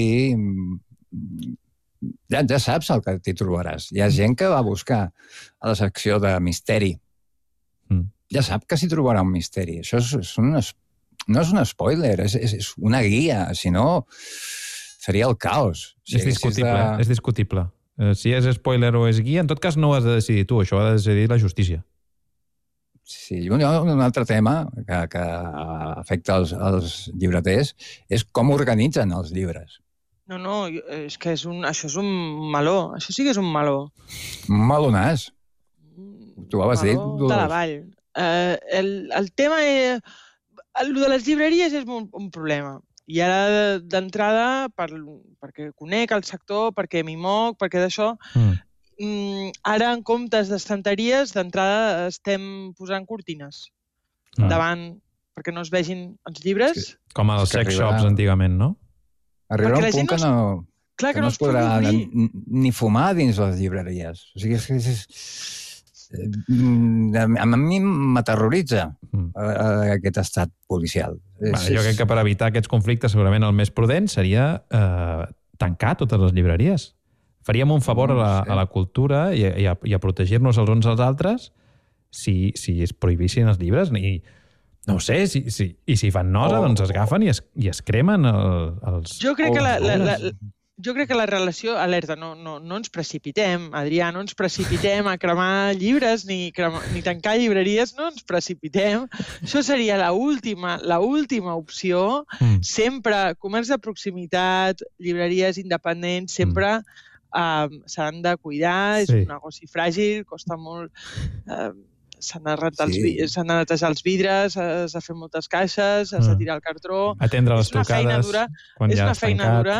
ja, ja saps el que t'hi trobaràs. Hi ha gent que va a buscar a la secció de misteri. Mm. Ja sap que s'hi trobarà un misteri. Això és, és un, no és un spoiler, és, és, és una guia. Si no, seria el caos. Si és discutible, de... és discutible. Si és spoiler o és guia, en tot cas no ho has de decidir tu, això ho ha de decidir la justícia. Sí, un, un altre tema que, que afecta els, els llibreters és com organitzen els llibres. No, no, és que és un, això és un meló. Això sí que és un meló. Un melonàs. Tu ho has dit. De la vall. Uh, el, el tema és... El de les llibreries és un, un problema. I ara, d'entrada, per, perquè conec el sector, perquè m'hi moc, perquè d'això... Mm. Ara, en comptes d'estanteries, d'entrada estem posant cortines ah. davant, perquè no es vegin els llibres. Sí. Com als sex arribarà... shops antigament, no? Arribarà un punt no... que no, Clar, que, que no, no es podrà ni, ni fumar dins les llibreries. O sigui, és, és, és... a mi m'aterroritza mm. aquest estat policial. Bueno, és, jo crec que per evitar aquests conflictes segurament el més prudent seria eh, tancar totes les llibreries. Faríem un favor a la, a la cultura i a, i a, i a protegir-nos els uns als altres si, si es prohibissin els llibres. I, no ho sé, si, si, i si fan nosa, oh. doncs es agafen i es, i es cremen el, els... Jo crec, oh, que la, la, la, jo crec que la relació... Alerta, no, no, no ens precipitem, Adrià, no ens precipitem a cremar llibres ni, cremar, ni tancar llibreries, no ens precipitem. Això seria l'última l'última opció. Mm. Sempre, comerç de proximitat, llibreries independents, sempre... Mm. Uh, s'han de cuidar, és sí. un negoci fràgil, costa molt... Uh, s'han de, sí. s'han de netejar els vidres, has de fer moltes caixes, has de tirar el cartró... Atendre les trucades dura, quan ja ja has tancat. És una feina dura,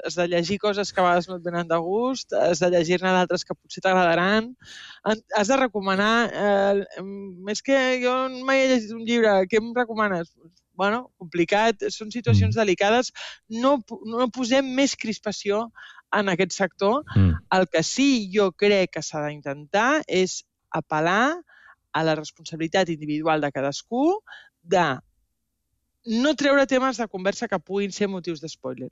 has de llegir coses que a vegades no et venen de gust, has de llegir-ne d'altres que potser t'agradaran, has de recomanar... Eh, més que jo mai he llegit un llibre, què em recomanes? Bueno, complicat, són situacions mm. delicades, no, no posem més crispació en aquest sector. Mm. El que sí jo crec que s'ha d'intentar és apel·lar a la responsabilitat individual de cadascú de no treure temes de conversa que puguin ser motius d'espoiler.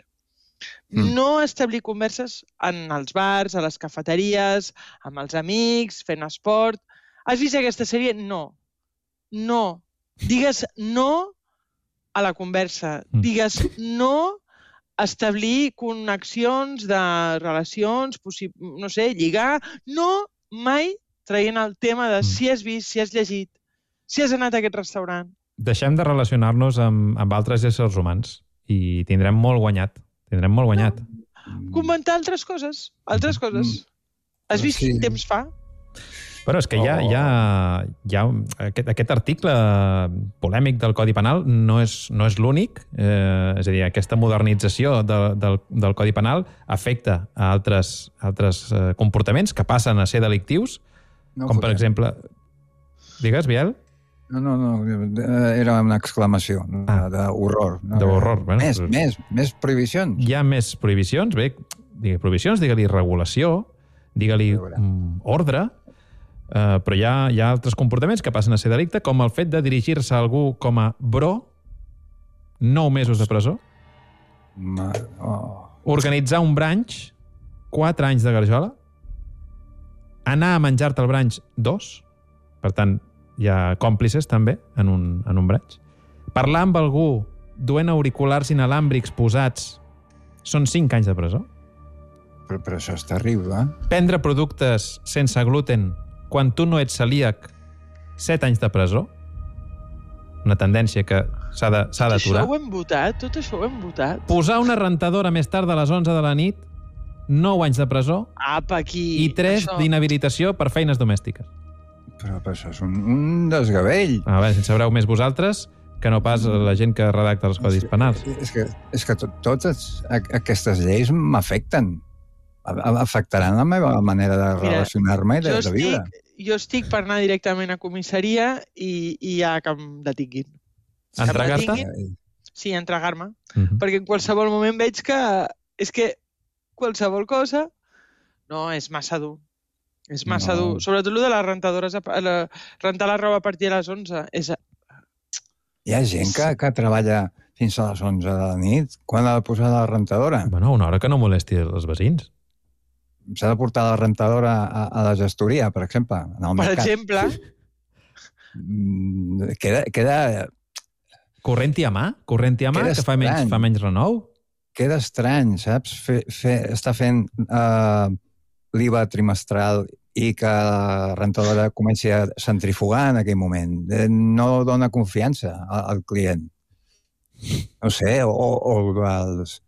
Mm. No establir converses en els bars, a les cafeteries, amb els amics, fent esport. Has vist aquesta sèrie? No. No. Digues no a la conversa. Mm. Digues no establir connexions de relacions, no sé, lligar, no mai traient el tema de si has vist, si has llegit, si has anat a aquest restaurant. Deixem de relacionar-nos amb, amb altres éssers humans i tindrem molt guanyat. Tindrem molt guanyat. No. Comentar altres coses, altres coses. Has vist sí. quin temps fa? Però és que hi ha, hi ha, hi ha aquest, aquest article polèmic del Codi Penal no és, no és l'únic, eh, és a dir, aquesta modernització de, del, del Codi Penal afecta a altres, altres eh, comportaments que passen a ser delictius, No com per fotem. exemple... Digues, Biel? No, no, no, era una exclamació Ah. d'horror. No? D'horror, bueno, Més, però- més, més prohibicions. Hi ha més prohibicions, bé, digue prohibicions, digue-li regulació, digue-li A veure. mm, ordre, eh, però hi ha, hi ha altres comportaments que passen a ser delicte, com el fet de dirigir-se a algú com a bro, nou mesos de presó, Ma... Oh. organitzar un branch, quatre anys de garjola, anar a menjar-te el branch, dos, per tant, hi ha còmplices també en un, en un branch, parlar amb algú duent auriculars inalàmbrics posats, són cinc anys de presó, Però, però això és terrible, eh? prendre productes sense gluten quan tu no ets celíac, set anys de presó, una tendència que s'ha de- s'ha Tot d'aturar. això ho hem votat? Tot això ho hem votat? Posar una rentadora més tard de les onze de la nit, nou anys de presó Apa, aquí... i tres això. d'inhabilitació per feines domèstiques. Però, però això és un, un desgavell. A veure, si en sabreu més vosaltres que no pas la gent que redacta els codis penals. És que, és que to, totes a- aquestes lleis m'afecten. A- a- Afectaran la meva manera de Mira, relacionar-me i de, Jo de viure. estic, jo estic per anar directament a comissaria i, i ja que em detinguin. Que em Entregar-te? detinguin, Sí, entregar-me. Mhm. Perquè en qualsevol moment veig que... És que qualsevol cosa... No, és massa dur. És massa No. dur. Sobretot el de les rentadores, a, pa- la, rentar la roba a partir de les onze. És, Hi ha gent que, que treballa fins a les onze de la nit. Quan ha de posar la rentadora? Bueno, una hora que no molesti els veïns. S'ha de portar la rentadora a, a la gestoria, per exemple. En el per mercat. exemple, Mm, Queda, queda, Corrent-hi a mà? Corrent-hi a mà, Queda que fa menys, estrany. fa menys renou? queda estrany, saps? Fe, fe, està fent uh, l'I V A trimestral i que la rentadora comenci a centrifugar en aquell moment. Eh, No dona confiança al, al client. No sé, o, o els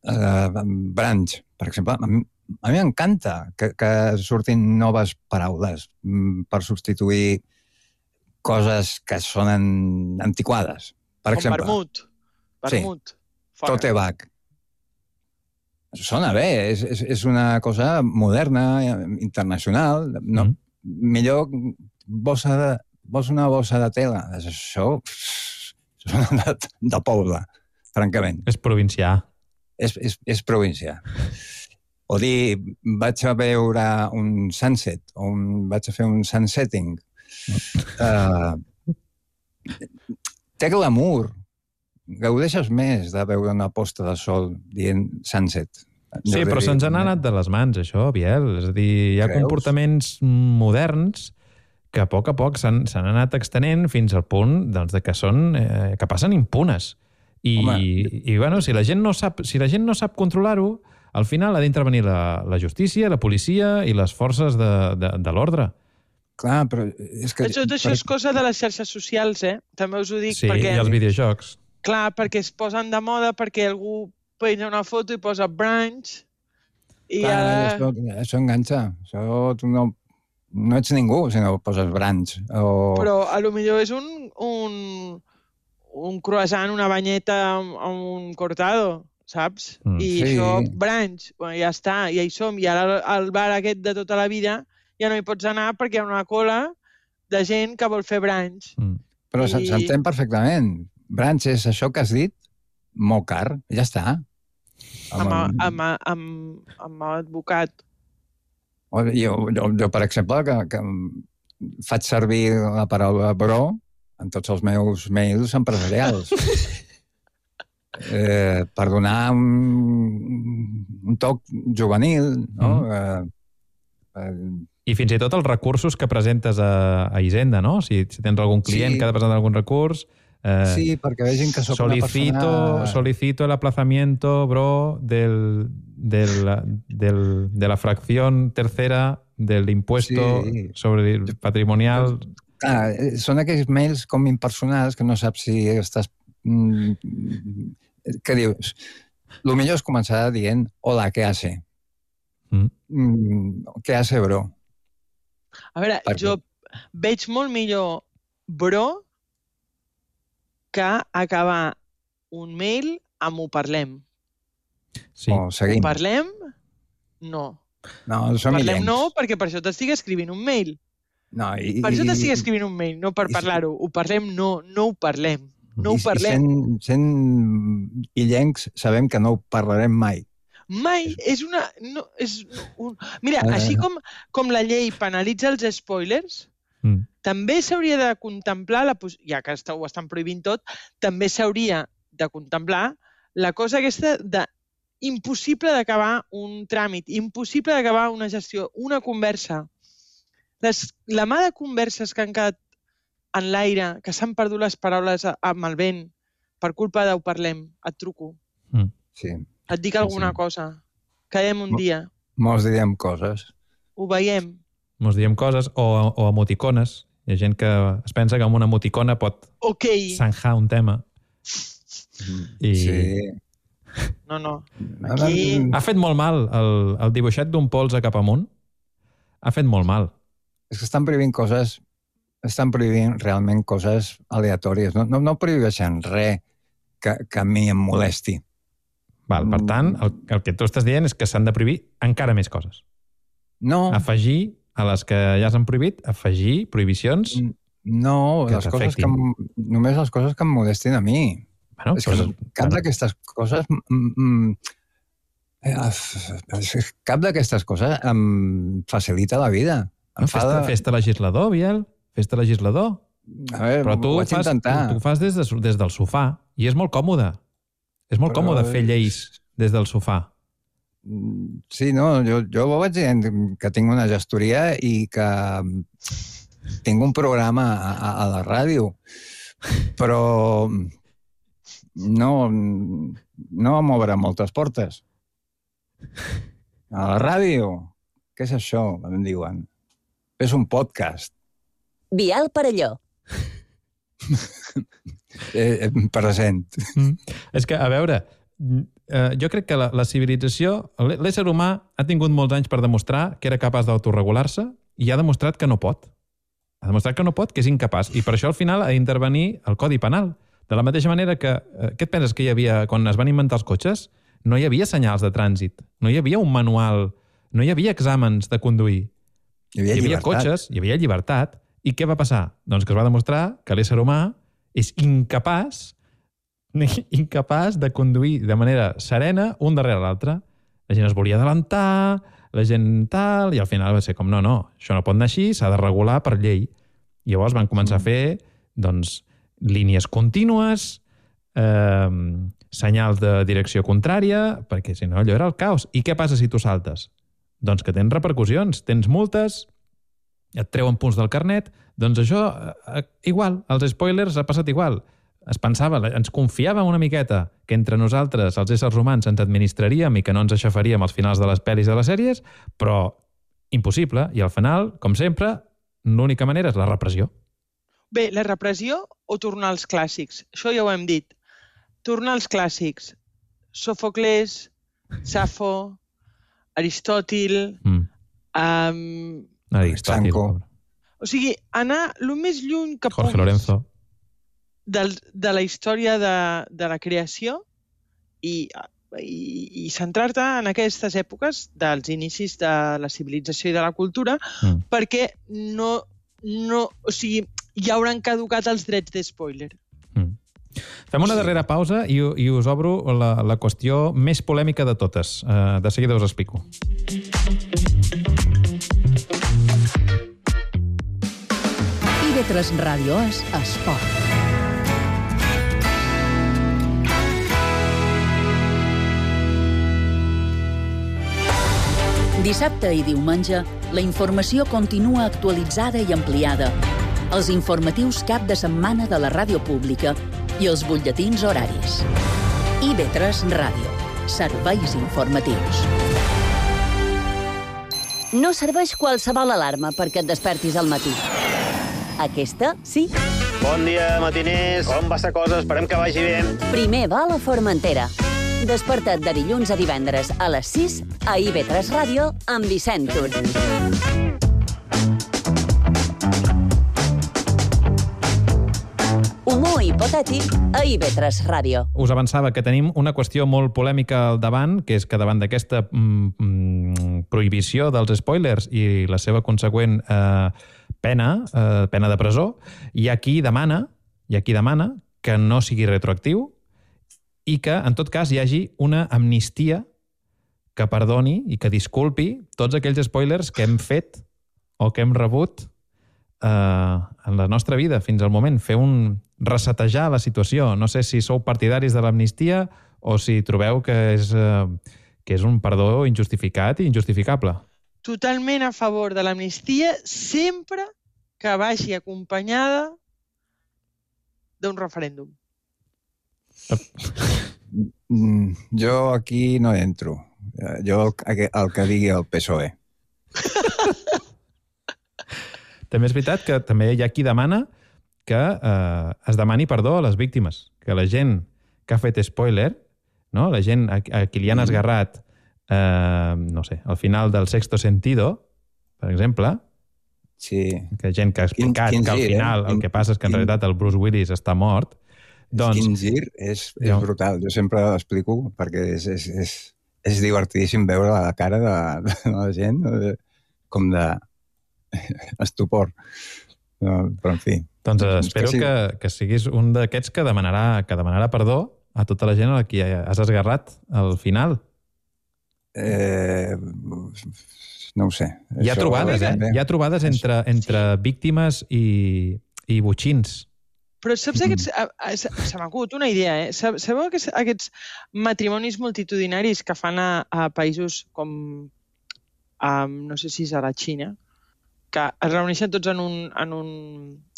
uh, branch, per exemple. A mi, a mi m'encanta que, que surtin noves paraules mm, per substituir coses que sonen antiquades. Per com exemple, vermut. Vermut. Fora. tote bag. Sona bé, és, és, és una cosa moderna, internacional. No, Mm. Millor bossa de, vols una bossa de tela. Això pff, sona de, de poble, francament. És provincià. És, és, és província. O dir, vaig a veure un sunset, o un, vaig a fer un sunsetting. Uh, té glamour. Gaudeixes més de veure una posta de sol dient sunset. Sí, però se'ns han anat de les mans, això, Biel. És a dir, hi ha Creus? comportaments moderns que a poc a poc s'han s'han anat extenent fins al punt doncs, de que són eh, que passen impunes. I, Home. i bueno, si la gent no sap, si la gent no sap controlar-ho, al final ha d'intervenir la, la justícia, la policia i les forces de, de, de l'ordre. Clar, però és que... Tot això és cosa de les xarxes socials, eh? També us ho dic Sí, perquè... i els videojocs. Clar, perquè es posen de moda, perquè algú penja una foto i posa branch i Clar, ara... això, això enganxa. Això tu no, no ets ningú si no poses branch. O... Però a lo millor és un, un, un croissant, una banyeta amb, amb un cortado, saps? Mm, I sí. això, branch, bueno, ja està, ja hi som. I ara al bar aquest de tota la vida ja no hi pots anar perquè hi ha una cola de gent que vol fer branch. Mm. Però I- s'entén perfectament. Branch és això que has dit, molt car, ja està. Amb, amb, amb, amb advocat. O Jo, jo, jo, per exemple, que, que faig servir la paraula bro en tots els meus mails empresarials. eh, per donar un, un toc juvenil, no? Mm. Eh, eh, I fins i tot els recursos que presentes a, a Hisenda, no? Si, si tens algun client Sí. que ha de presentar algun recurs... Eh, sí, perquè vegin que sóc solicito, una persona... solicito el aplazamiento, bro, del, del, del, de la fracción tercera del impuesto Sí. sobre el patrimonial. Ah, eh, són aquells mails com impersonals que no saps si estàs... Mm, què dius? El millor és començar dient hola, què hace? Mm. Mm, què hace, bro? A veure, Per jo veig molt millor bro que acabar un mail amb ho parlem. Sí. O seguim. Ho parlem? No. No, som Parlem illencs. no, perquè per això t'estic escrivint un mail. No, i, Per això i- t'estic escrivint un mail, no per i- parlar-ho. Ho parlem no, no ho parlem. No i- ho parlem. I sent, sent illencs sabem que no ho parlarem mai. Mai és una... No, és un... Mira, Eh. així com, com la llei penalitza els spoilers, Mm. també s'hauria de contemplar, la pos... ja que està- ho estan prohibint tot, també s'hauria de contemplar la cosa aquesta de impossible d'acabar un tràmit, impossible d'acabar una gestió, una conversa. Les, la mà de converses que han quedat en l'aire, que s'han perdut les paraules a- amb el vent per culpa d'ho parlem, et truco, Mm. Sí. et dic alguna sí. cosa, quedem un Mo- dia, Molts direm coses. ho veiem. Mos diem coses, o, o emoticones. Hi ha gent que es pensa que amb una emoticona pot Ok. zanjar un tema. I... Sí. No, no. Aquí... Ha fet molt mal el, el dibuixet d'un polze cap amunt. Ha fet molt mal. És que estan prohibint coses, estan prohibint realment coses aleatòries. No, no, no prohibeixen res que, que a mi em molesti. Val, per tant, el, el que tu estàs dient és que s'han de prohibir encara més coses. No, Afegir a les que ja s'han prohibit, afegir prohibicions. no, que les coses que, t'afectin. em- només les coses que em molestin a mi. Bueno, És que però- cap bueno, d'aquestes coses... Mm, mm, eh, cap d'aquestes coses em facilita la vida. Em no, fa fes-te de... fes legislador, Biel. Fes-te legislador. A veure, Però tu ho ho vaig fas, tu, intentar. tu ho fas des, de, des del sofà i és molt còmode. És molt Però còmode fer és- lleis des del sofà. Mm, Sí, no, jo, jo ho vaig dient que tinc una gestoria i que tinc un programa a, a, a la ràdio, però no, no em obre moltes portes. A la ràdio? Què és això, em diuen? És un podcast. Biel Parelló. Eh, eh, present. Mm. És que, a veure, eh, jo crec que la, la civilització, l'ésser humà ha tingut molts anys per demostrar que era capaç d'autoregular-se i ha demostrat que no pot. Ha demostrat que no pot, que és incapaç. I per això al final ha d'intervenir el Codi Penal. De la mateixa manera que... Eh, què et penses que hi havia... Quan es van inventar els cotxes, no hi havia senyals de trànsit, no hi havia un manual, no hi havia exàmens de conduir. Hi havia, Hi havia llibertat. cotxes, hi havia llibertat. I què va passar? Doncs que es va demostrar que l'ésser humà és incapaç incapaç de conduir de manera serena un darrere l'altre. La gent es volia adelantar, la gent tal, i al final va ser com, no, no, això no pot anar així, s'ha de regular per llei. I llavors van començar a fer, doncs, línies contínues, eh, senyals de direcció contrària, perquè si no allò era el caos. I què passa si tu saltes? Doncs que tens repercussions, tens multes, et treuen punts del carnet, doncs això, eh, igual, els spoilers ha passat igual. Es pensava, ens confiàvem una miqueta que entre nosaltres, els éssers humans, ens administraríem i que no ens aixafaríem als finals de les pel·lis de les sèries, però impossible. I al final, com sempre, l'única manera és la repressió. Bé, la repressió o tornar als clàssics? Això ja ho hem dit. Tornar als clàssics. Sòfocles, Safo, Aristòtil... Mm. Um, Aristòtil. Sanco. pobre. o sigui, anar el més lluny que Jorge puguis Lorenzo. del, de la història de, de la creació i, i, i centrar-te en aquestes èpoques dels inicis de la civilització i de la cultura, Mm. perquè no, no, o sigui, ja hauran caducat els drets d'espoiler. Mm. Fem una darrera pausa i, i us obro la, la qüestió més polèmica de totes. Uh, de seguida us explico. I V tres Ràdio és esport. Dissabte i diumenge, la informació continua actualitzada i ampliada. Els informatius cap de setmana de la ràdio pública i els butlletins horaris. I V tres Ràdio. Serveis informatius. No serveix qualsevol alarma perquè et despertis al matí. Aquesta, sí. Bon dia, matiners. Com va la cosa? Esperem que vagi bé. Primer va a la Formentera. Desperta't de dilluns a divendres a les sis a I V tres Ràdio amb Vicent Tur. hipotètic a I V tres Ràdio. Us avançava que tenim una qüestió molt polèmica al davant, que és que davant d'aquesta mm, prohibició dels spoilers i la seva consegüent eh, pena, eh, pena de presó, hi ha qui demana, hi ha qui demana que no sigui retroactiu i que, en tot cas, hi hagi una amnistia que perdoni i que disculpi tots aquells spoilers que hem fet o que hem rebut eh, en la nostra vida fins al moment. Fer un resetejar la situació. No sé si sou partidaris de l'amnistia o si trobeu que és, eh, que és un perdó injustificat i injustificable. Totalment a favor de l'amnistia sempre que vagi acompanyada d'un referèndum. Jo aquí no entro. Jo el, el que digui el P S O E. També és veritat que també hi ha qui demana que eh, es demani perdó a les víctimes, que la gent que ha fet spoiler, no? La gent a, a qui li han esgarrat, eh, no sé, al final del Sexto Sentido, per exemple, sí. Que gent que ha explicat quin, quin que al final eh? el que passa és que en quin... realitat el Bruce Willis està mort, doncs... Quin gir és, és jo... brutal. Jo sempre l'explico perquè és, és, és, és divertidíssim veure la cara de, de la gent com de estupor. No, però, en fi... Doncs eh, espero que, sí. que, que siguis un d'aquests que demanarà, que demanarà perdó a tota la gent a qui has esgarrat al final. Eh, no ho sé. Hi ha Això trobades, eh? Hi ha trobades entre, entre víctimes i, i botxins. Però saps aquests... Se m'ha acut una idea, eh? Sabeu aquests, aquests matrimonis multitudinaris que fan a, a països com... Um, no sé si és a la Xina, que es reuneixen tots en un, en un,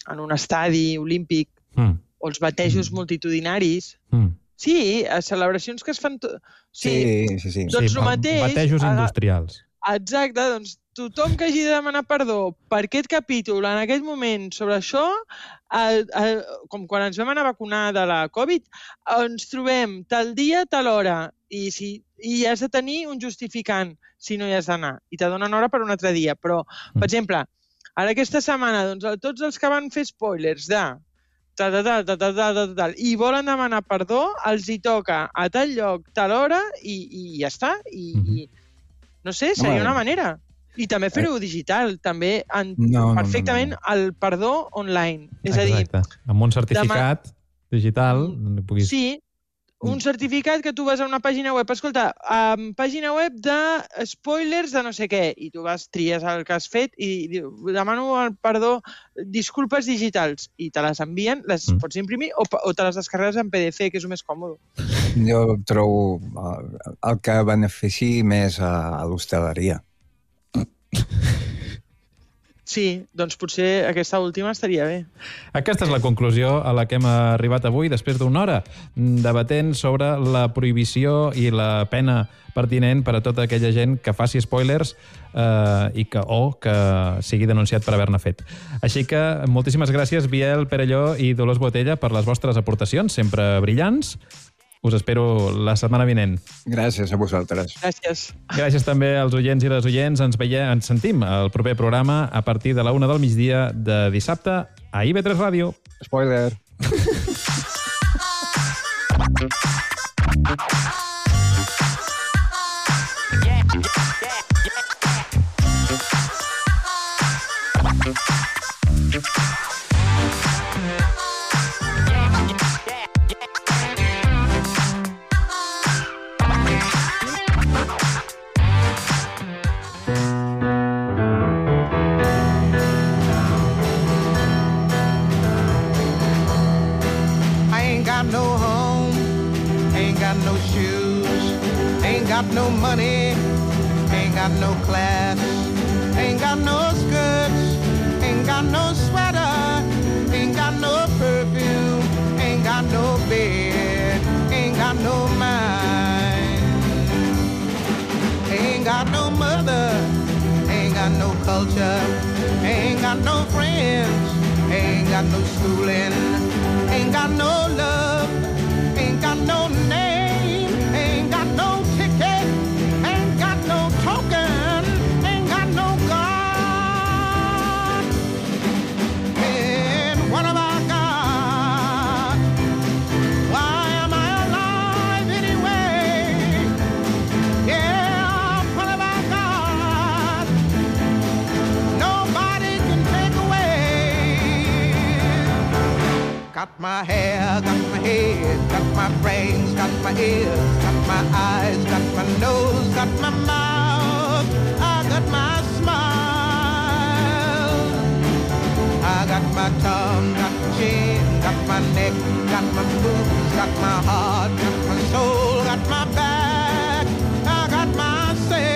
en un estadi olímpic, mm. o els batejos mm. multitudinaris. Mm. Sí, a celebracions que es fan... To... Sí, sí, sí. Doncs sí, el mateix... Batejos industrials. Exacte, doncs tothom que hagi de demanar perdó per aquest capítol, en aquest moment, sobre això, el, el, com quan ens vam anar a vacunar de la Covid, ens trobem tal dia, tal hora, i, si, i has de tenir un justificant si no hi has d'anar, i te donen hora per un altre dia. Però, per exemple, ara aquesta setmana, doncs, tots els que van fer spoilers de tal, tal, tal, tal, tal, tal, tal, i volen demanar perdó, els hi toca a tal lloc, tal hora, i, i ja està. I, mm-hmm. i no sé, seria no, una manera. I també fer-ho digital, també en, no, perfectament no, no, no. el perdó online. És Exacte. a dir... Amb un certificat demà... digital... Puguis... Sí, un certificat que tu vas a una pàgina web. Escolta, um, pàgina web de spoilers de no sé què. I tu vas, tries el que has fet i diu, demano el perdó, disculpes digitals. I te les envien, les mm. pots imprimir o, o te les descarregues en P D F, que és el més còmode. Jo trobo el que benefici més a l'hostaleria. Sí, doncs potser aquesta última estaria bé. Aquesta és la conclusió a la que hem arribat avui, després d'una hora, debatent sobre la prohibició i la pena pertinent per a tota aquella gent que faci spoilers eh, i que, o que sigui denunciat per haver-ne fet. Així que moltíssimes gràcies, Biel Perelló i Dolors Botella, per les vostres aportacions, sempre brillants. Us espero la setmana vinent. Gràcies a vosaltres. Gràcies. Gràcies també als oients i les oients. Ens veiem, ens sentim al proper programa a partir de la una del migdia de dissabte a I V tres Ràdio. Spoiler. Got no money, ain't got no class, ain't got no skirts, ain't got no sweater, ain't got no perfume, ain't got no bed, ain't got no mind, ain't got no mother, ain't got no culture, ain't got no friends, ain't got no schooling, ain't got no love, ain't got no name, ain't got no ticket, ain't got no token, ain't got no God. And what have I got? head, got my brains, got my ears, got my eyes, got my nose, got my mouth, I got my smile. I got my tongue, got my chin, got my neck, got my boobs, got my heart, got my soul, got my back, I got my sex.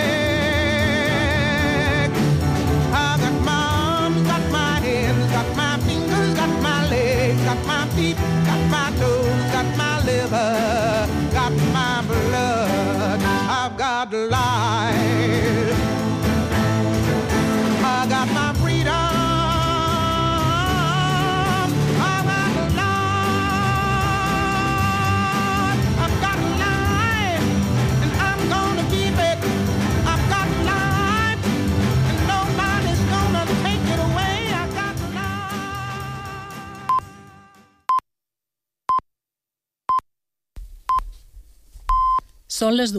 I got my arms, got my hands, got my fingers, got my legs, got my feet, got my toes, got my liver, got my blood, I've got life. I got my freedom. Són les